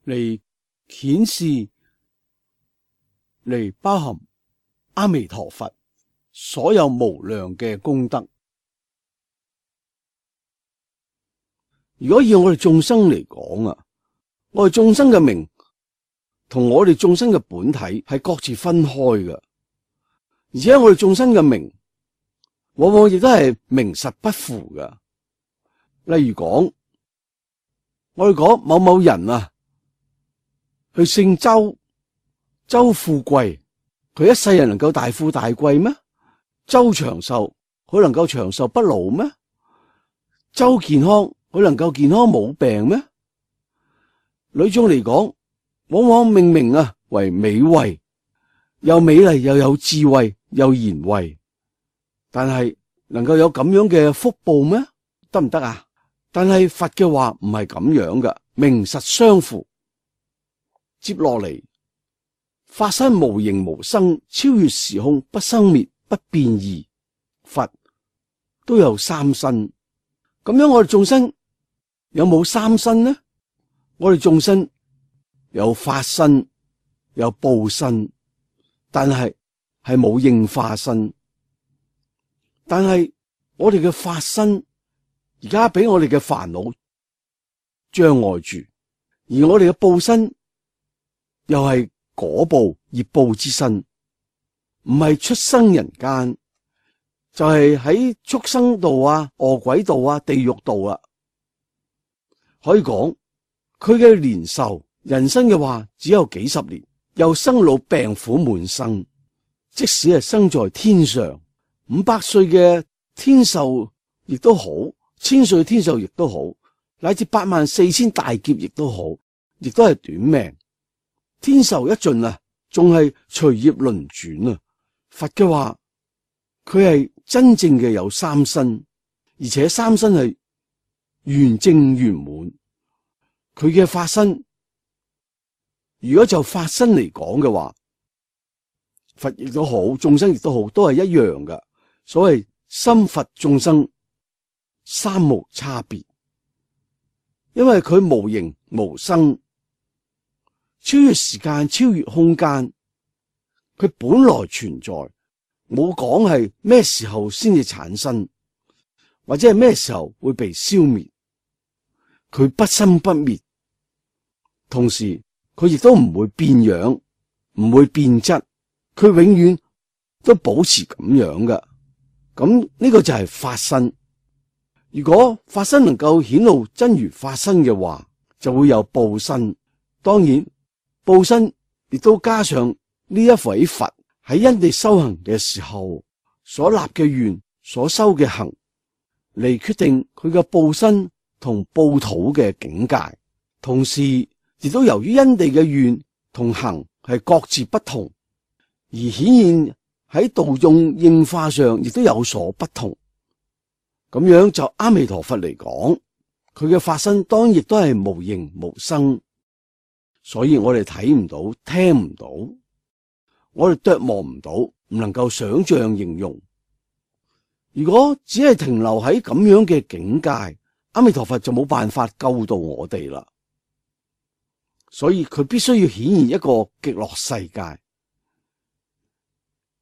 嚟顯示，嚟包含阿彌陀佛所有無量嘅功德。如果以我哋眾生嚟講啊，我哋眾生嘅名同我哋眾生嘅本體係各自分開嘅，而且我哋眾生嘅名往往亦都係名實不符嘅。例如講，我哋講某某人啊，佢姓周，周富貴，佢一世人能夠大富大貴咩？周長壽，佢能夠長壽不老咩？周健康，佢能夠健康冇病咩？女眾嚟講，往往命名啊為美慧，又美麗又有智慧又賢慧，但係能夠有咁樣嘅福報咩？得唔得啊？但係佛嘅話唔係咁樣嘅，名實相符。接落嚟，法身無形無生，超越時空，不生滅，不變異。佛都有三身，咁樣我哋眾生有冇三身呢？我哋眾生有法身，有報身，但係係冇應化身。但係我哋嘅法身而家俾我哋嘅煩惱障礙住，而我哋嘅報身又係果報業報之身，唔係出生人間，就係喺畜生道啊、餓鬼道啊、地獄道啊。可以講佢嘅年壽人生嘅話只有幾十年，又生老病苦滿生。即使係生在天上，五百歲嘅天壽亦都好，千歲天壽亦都好，乃至八萬四千大劫亦都好，亦都係短命。天壽一盡啊，仲係隨業輪轉啊。佛嘅話，佢係真正嘅有三身，而且三身係圓正圓滿。佢嘅法身，如果就法身嚟講嘅話，佛亦都好，眾生亦都好，都係一樣嘅。所謂心佛眾生三無差別，因為佢無形無生，超越時間，超越空間，佢本來存在，冇講係咩時候先至產生，或者係咩時候會被消滅。佢不生不滅，同時佢亦都唔會變樣，唔會變質，佢永遠都保持咁樣嘅。咁呢個就係法身。如果法身能夠顯露真如法身嘅話，就會有報身。當然報身亦都加上呢一位佛喺因地修行嘅時候所立嘅願，所修嘅行，嚟決定佢嘅報身同報土嘅境界。同時亦都由於因地嘅願同行係各自不同，而顯現喺道用應化上亦都有所不同。咁樣就阿彌陀佛嚟講，佢嘅法身當然亦都係無形無生，所以我哋睇唔到，聽唔到，我哋琢磨唔到，唔能夠想象形容。如果只係停留喺咁樣嘅境界，阿彌陀佛就冇辦法救到我哋啦。所以佢必須要顯現一個極樂世界，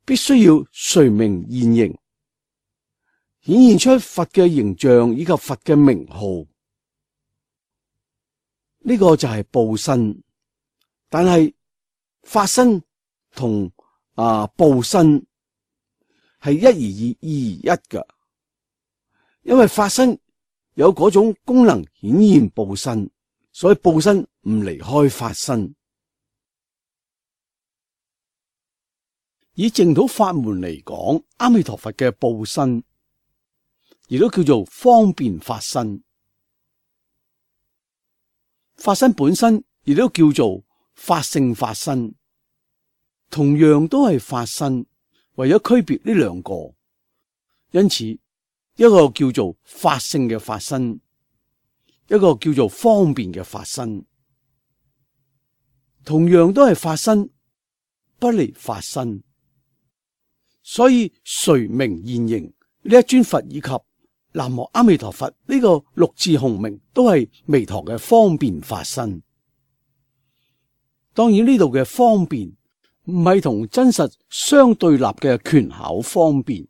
必須要隨名現形，顯現出佛嘅形象以及佛嘅名號。呢個就係報身。但係法身同啊報身係一而二，二而一㗎，因為法身有嗰種功能顯現報身，所以報身唔離開法身。以淨土法門嚟講，阿彌陀佛嘅報身亦都叫做方便法身，法身本身亦都叫做法性法身，同樣都係法身，為咗區別呢兩個，因此一個叫做法性嘅法身，一個叫做方便嘅法身，同樣都係法身，不離法身。所以垂名現形呢一尊佛以及南無阿彌陀佛呢個六字洪名都係彌陀嘅方便法身。當然呢度嘅方便唔係同真實相對立嘅權巧方便，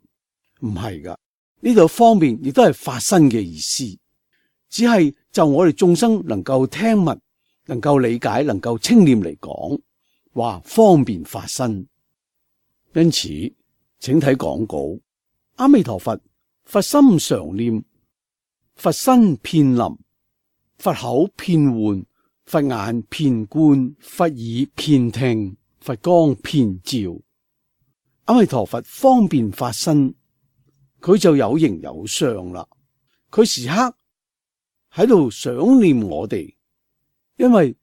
唔係噶。呢度方便亦都係法身嘅意思，只係就我哋眾生能夠聽聞、能夠理解、能夠稱念嚟講，話方便法身。因此，請睇講稿。阿彌陀佛，佛心常念，佛身遍臨，佛口遍喚，佛眼遍觀，佛耳遍聽，佛光遍照。阿彌陀佛方便法身，佢就有形有相啦。佢時刻喺度想念我哋，因為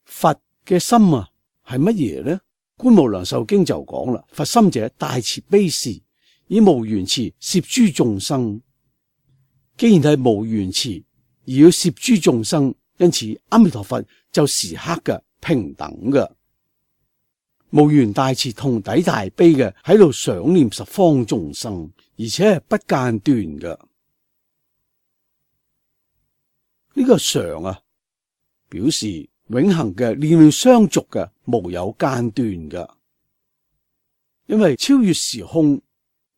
佛嘅心啊係乜嘢呢？觀無量壽經就講啦，佛心者大慈悲事，以無緣慈攝諸眾生。既然係無緣慈而要攝諸眾生，因此阿彌陀佛就時刻嘅平等嘅無緣大慈同體大悲嘅喺度想念十方眾生，而且係不間斷嘅。呢、這個常啊，表示永恆嘅念念相續嘅，無有間斷嘅。因為超越時空，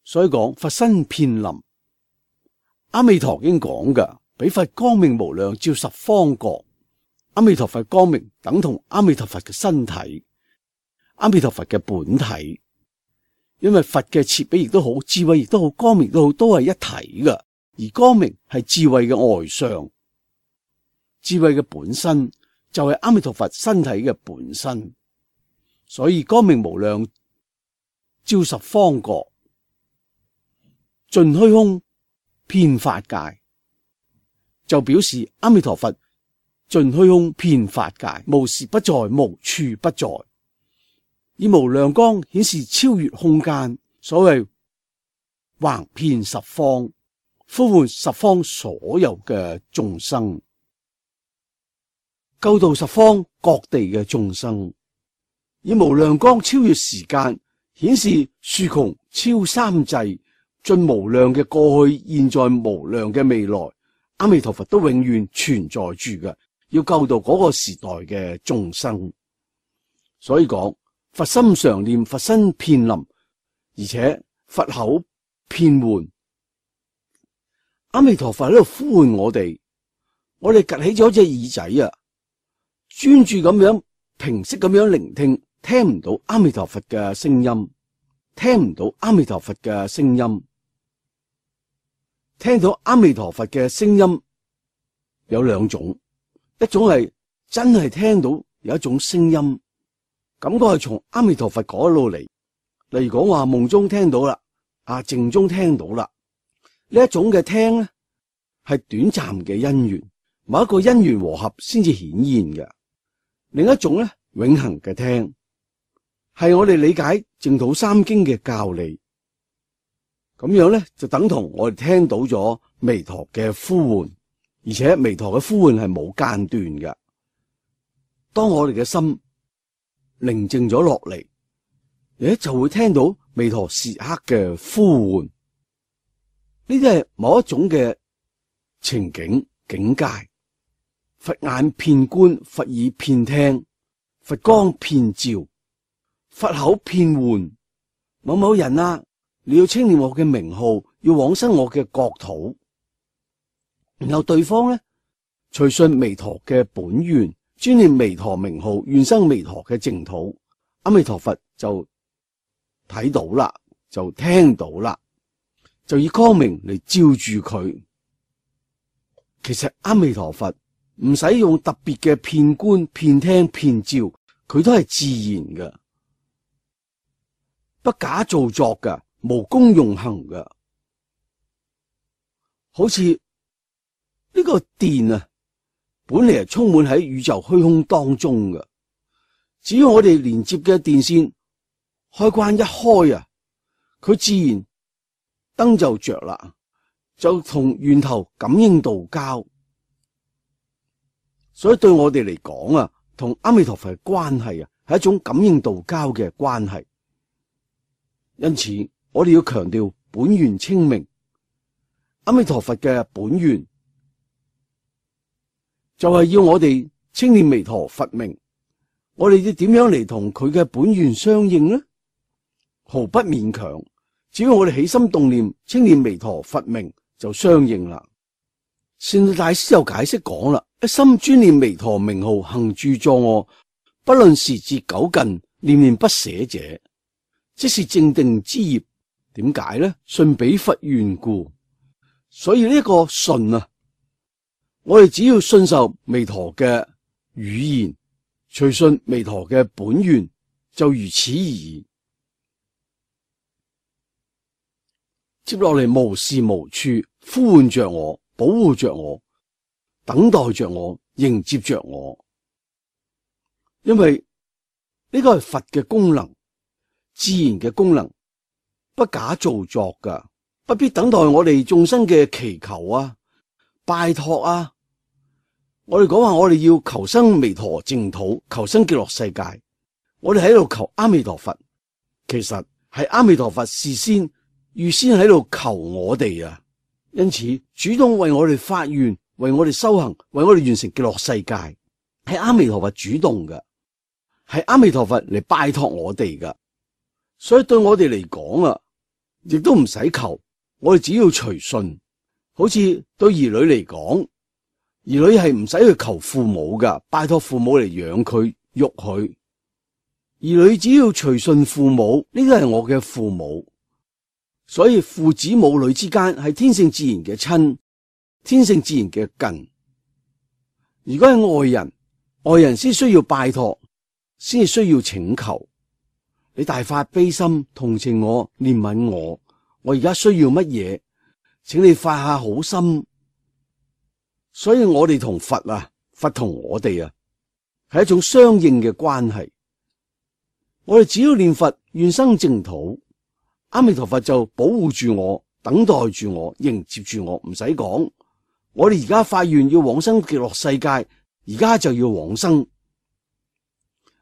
所以講佛身遍臨。阿彌陀經講嘅，彼佛光明無量，照十方國。阿彌陀佛光明等同阿彌陀佛嘅身體，阿彌陀佛嘅本體。因為佛嘅慈悲亦都好，智慧亦都好，光明都好，都係一體嘅。而光明係智慧嘅外相，智慧嘅本身就係阿彌陀佛身體嘅本身。所以光明無量，照十方國，盡虛空，遍法界，就表示阿彌陀佛盡虛空，遍法界，無時不在，無處不在，以無量光顯示超越空間。所謂橫遍十方，呼喚十方所有嘅眾生，救度十方各地嘅眾生。以無量光超越時間，顯示豎窮超三際，盡無量嘅過去、現在、無量嘅未來，阿彌陀佛都永遠存在住嘅，要救度嗰個時代嘅眾生。所以講佛心常念，佛身遍臨，而且佛口遍喚。阿彌陀佛喺度呼喚我哋，我哋趷起咗隻耳仔啊，專注咁樣平息咁樣聆聽，聽唔到阿彌陀佛嘅聲音，聽唔到阿彌陀佛嘅聲音。聽到阿彌陀佛嘅聲音有兩種，一種係真係聽到有一種聲音，感覺係從阿彌陀佛嗰度嚟，例如講話夢中聽到啦，啊靜中聽到啦，呢一種嘅聽咧係短暫嘅因緣，某一個因緣和合先至顯現嘅。另一種咧永恆嘅聽，係我哋理解淨土三經嘅教理。咁樣咧，就等同我哋聽到咗彌陀嘅呼喚，而且彌陀嘅呼喚係冇間斷嘅。當我哋嘅心寧靜咗落嚟，誒就會聽到彌陀時刻嘅呼喚。呢啲係某一種嘅情景境界。佛眼遍觀，佛耳遍聽，佛光遍照，佛口遍喚。某某人啊，你要稱念我嘅名號，要往生我嘅國土。然後對方咧隨順彌陀嘅本願，專念彌陀名號，願生彌陀嘅淨土。阿彌陀佛就睇到啦，就聽到啦，就以光明嚟照住佢。其實阿彌陀佛唔使用特別嘅遍觀、遍聽、遍照，佢都係自然嘅，不假造作嘅。無功用行嘅，好似呢個電啊，本嚟係充滿喺宇宙虛空當中嘅。只要我哋連接嘅電線開關一開啊，佢自然燈就着啦，就同源頭感應道交。所以對我哋嚟講啊，同阿彌陀佛嘅關係啊，係一種感應道交嘅關係。因此，我哋要強調本願稱名。阿彌陀佛嘅本願就係要我哋稱念彌陀佛名。我哋要點樣嚟同佢嘅本願相應呢？毫不勉強，只要我哋起心動念稱念彌陀佛名就相應啦。善導大師又解釋講啦，一心專念彌陀名號行住坐臥，不論時節久近，念念不捨者，即是正定之業。點解呢？順彼佛願故。所以呢個順啊，我哋只要信受彌陀嘅語言，隨順彌陀嘅本願，就如此而已。接落嚟無時無處呼喚着我，保護着我，等待着我，迎接着我。因為呢個係佛嘅功能，自然嘅功能，不假造作噶。不必等待我哋眾生嘅祈求啊、拜託啊。我哋講話我哋要求生彌陀淨土，求生極樂世界，我哋喺度求阿彌陀佛，其實係阿彌陀佛事先預先喺度求我哋啊。因此主動為我哋發願，為我哋修行，為我哋完成極樂世界，係阿彌陀佛主動嘅，係阿彌陀佛嚟拜託我哋噶。所以對我哋嚟講啊，亦都唔使求。我哋只要隨順，好似對兒女嚟講，兒女係唔使去求父母噶，拜託父母嚟養佢、育佢。兒女只要隨順父母，呢個係我嘅父母。所以父子母女之間係天性自然嘅親，天性自然嘅近。如果係外人，外人先需要拜託，先至需要請求。你大發悲心，同情我，憐憫我。我而家需要乜嘢，請你發下好心。所以我哋同佛啊，佛同我哋啊，係一種相應嘅關係。我哋只要念佛願生淨土，阿彌陀佛就保護住我，等待住我，迎接住我。唔使講，我哋而家發願要往生極樂世界，而家就要往生，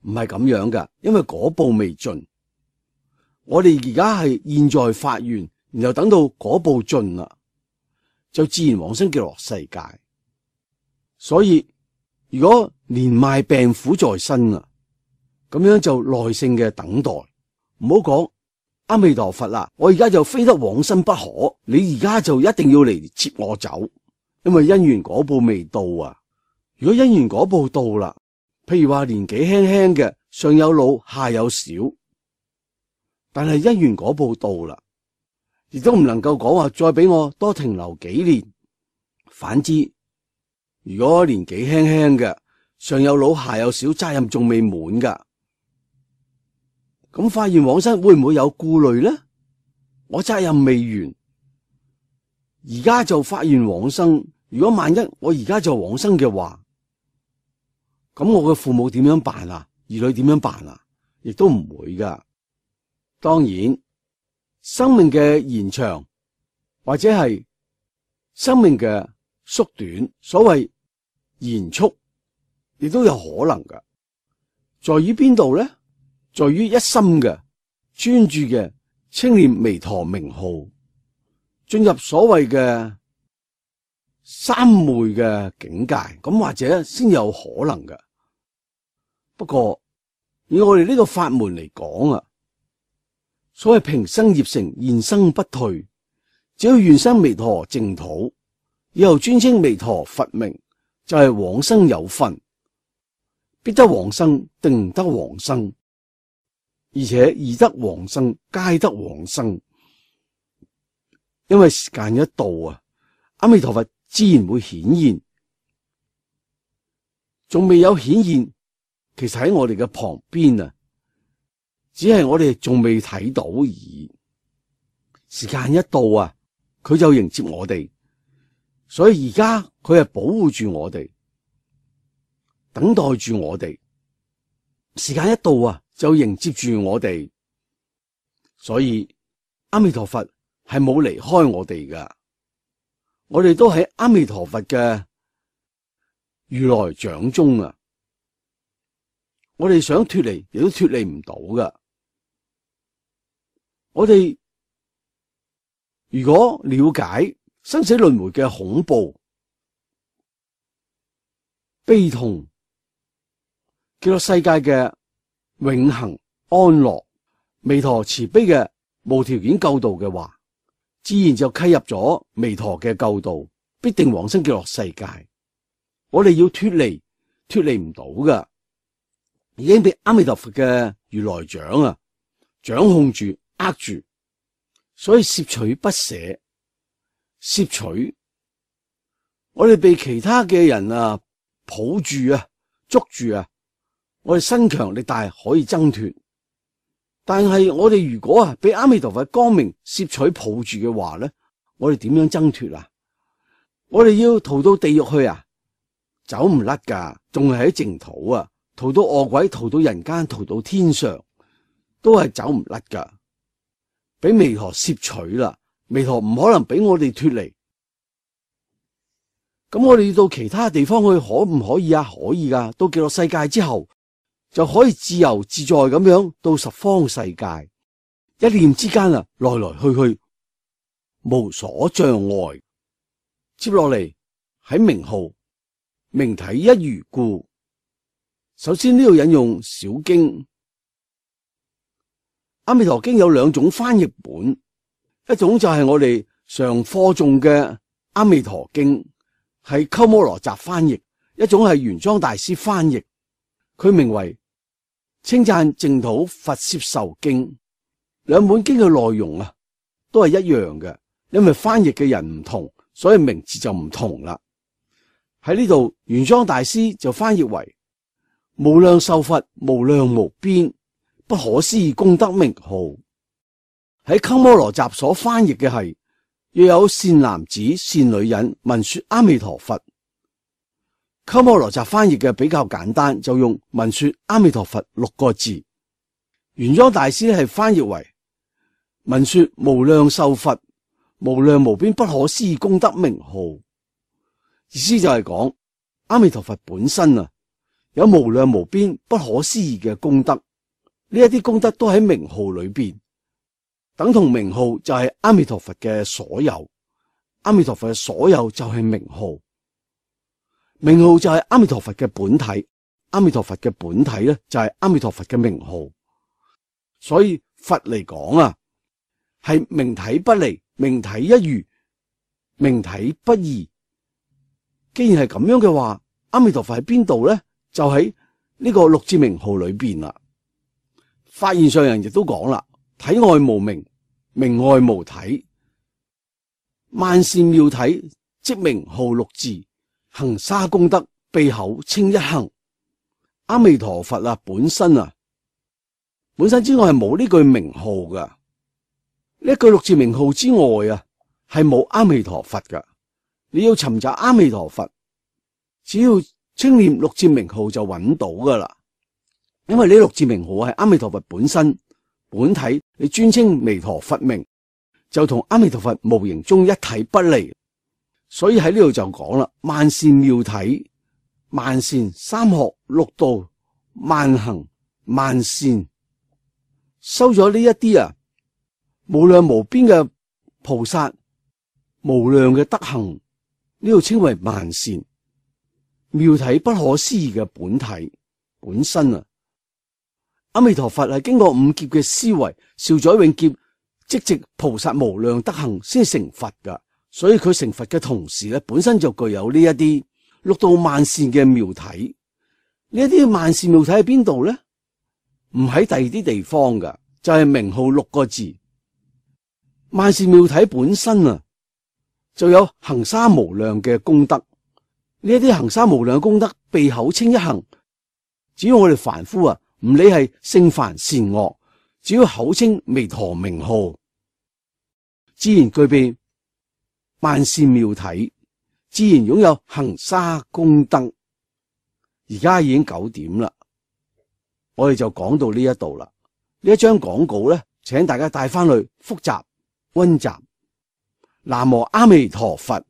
唔係咁樣噶，因為果報未盡。我哋而家係現在發願，然後等到果報盡啦，就自然往生極樂世界。所以如果年邁病苦在身啊，咁樣就耐性嘅等待，唔好講阿彌陀佛啦，我而家就非得往生不可，你而家就一定要嚟接我走，因為因緣果報未到啊。如果因緣果報到啦，譬如話年紀輕輕嘅，上有老下有小，但係因緣果報到啦，亦都唔能夠講話再俾我多停留幾年。反之，如果年紀輕輕嘅，上有老下有小，責任仲未滿噶，咁發願往生會唔會有顧慮呢？我責任未完，而家就發願往生。如果萬一我而家就往生嘅話，咁我嘅父母點樣辦啊？兒女點樣辦啊？亦都唔會噶。當然，生命嘅延長或者係生命嘅縮短，所謂延速，亦都有可能噶。在於邊度咧？在於一心嘅專注嘅稱念彌陀名號，進入所謂嘅三昧嘅境界，咁或者先有可能噶。不過以我哋呢個法門嚟講啊，所謂平生業成，現生不退，只要願生彌陀淨土，以後專稱彌陀佛名，就係、是、往生有份，必得往生，定得往生，而且易得往生，皆得往生。因為時間一到啊，阿彌陀佛自然會顯現，仲未有顯現，其實喺我哋嘅旁邊啊，只係我哋仲未睇到而已。時間一到啊，佢就迎接我哋，所以而家佢係保護住我哋，等待住我哋。時間一到啊，就迎接住我哋，所以阿彌陀佛係冇離開我哋噶，我哋都喺阿彌陀佛嘅如來掌中啊。我哋想脫離，亦都脫離唔到㗎。我哋如果了解生死輪迴嘅恐怖、悲痛，極樂世界嘅永恆安樂，彌陀慈悲嘅無條件救度嘅話，自然就契入咗彌陀嘅救度，必定往生極樂世界。我哋要脫離，脫離唔到㗎，已經被阿彌陀佛嘅如來掌啊掌控住、握住，所以攝取不捨，攝取。我哋被其他嘅人啊抱住啊捉住啊，我哋身強力大可以掙脫，但係我哋如果啊俾阿彌陀佛光明攝取抱住嘅話咧，我哋點樣掙脫啊？我哋要逃到地獄去啊，走唔甩噶，仲係喺淨土啊，逃到餓鬼，逃到人間，逃到天上，都係走唔甩噶，俾彌陀攝取啦，彌陀唔可能俾我哋脫離。咁我哋要到其他地方去，可唔可以啊？可以噶，到極樂世界之後就可以自由自在咁樣到十方世界，一念之間啊，來來去去無所障礙。接落嚟喺名號明體一如故。首先呢度引用小經，阿彌陀經有兩種翻譯本，一種就係我哋常課誦嘅阿彌陀經，係鳩摩羅什翻譯，一種係玄奘大師翻譯，佢名為稱讚淨土佛攝受經。兩本經嘅內容啊都係一樣嘅，因為翻譯嘅人唔同，所以名字就唔同啦。喺呢度玄奘大師就翻譯為無量壽佛無量無邊不可思議功德名號。喺鳩摩羅什所翻譯嘅係若有善男子善女人聞說阿彌陀佛。鳩摩羅什翻譯嘅比較簡單，就用聞說阿彌陀佛六個字。玄奘大師係翻譯為聞說無量壽佛無量無邊不可思議功德名號。意思就係講阿彌陀佛本身啊有無量無邊不可思議嘅功德，呢一啲功德都喺名號裏邊，等同名號就係阿彌陀佛嘅所有，阿彌陀佛嘅所有就係名號，名號就係阿彌陀佛嘅本體，阿彌陀佛嘅本體咧就係阿彌陀佛嘅名號。所以佛嚟講啊係明體不離，明體一如，明體不異。既然係咁樣嘅話，阿彌陀佛喺邊度咧？就喺呢個六字名號裏邊啦。法現上人亦都講啦，體外無名，名外無體，萬善妙體即名號六字，行沙功德閉口稱一行。阿彌陀佛啊本身啊本身之外係冇呢句名號噶，呢句六字名號之外啊係冇阿彌陀佛噶。你要尋找阿彌陀佛，只要稱念六字名號就揾到噶啦。因為呢六字名號係阿彌陀佛本身本體，你專稱彌陀佛名，就同阿彌陀佛無形中一體不離。所以喺呢度就講啦，萬善妙體，萬善三學六道萬行萬善，收咗呢一啲啊無量無邊嘅菩薩，無量嘅德行，呢度稱為萬善妙體不可思議嘅本體本身啊。阿彌陀佛係經過五劫嘅思維，兆載永劫積植菩薩無量德行先成佛噶，所以佢成佛嘅同時咧，本身就具有呢一啲六道萬善嘅妙體。呢一啲萬善妙體喺邊度咧？唔喺第二啲地方噶，就係名號六個字。萬善妙體本身啊，就有行沙無量嘅功德。呢一啲行沙無量功德，閉口稱一行。只要我哋凡夫啊，唔理係聖凡善惡，只要口稱彌陀名號，自然具備萬善妙體，自然擁有行沙功德。而家已經九點啦，我哋就講到呢一度啦。呢一張廣告咧，請大家帶翻去複習溫習。南無阿彌陀佛。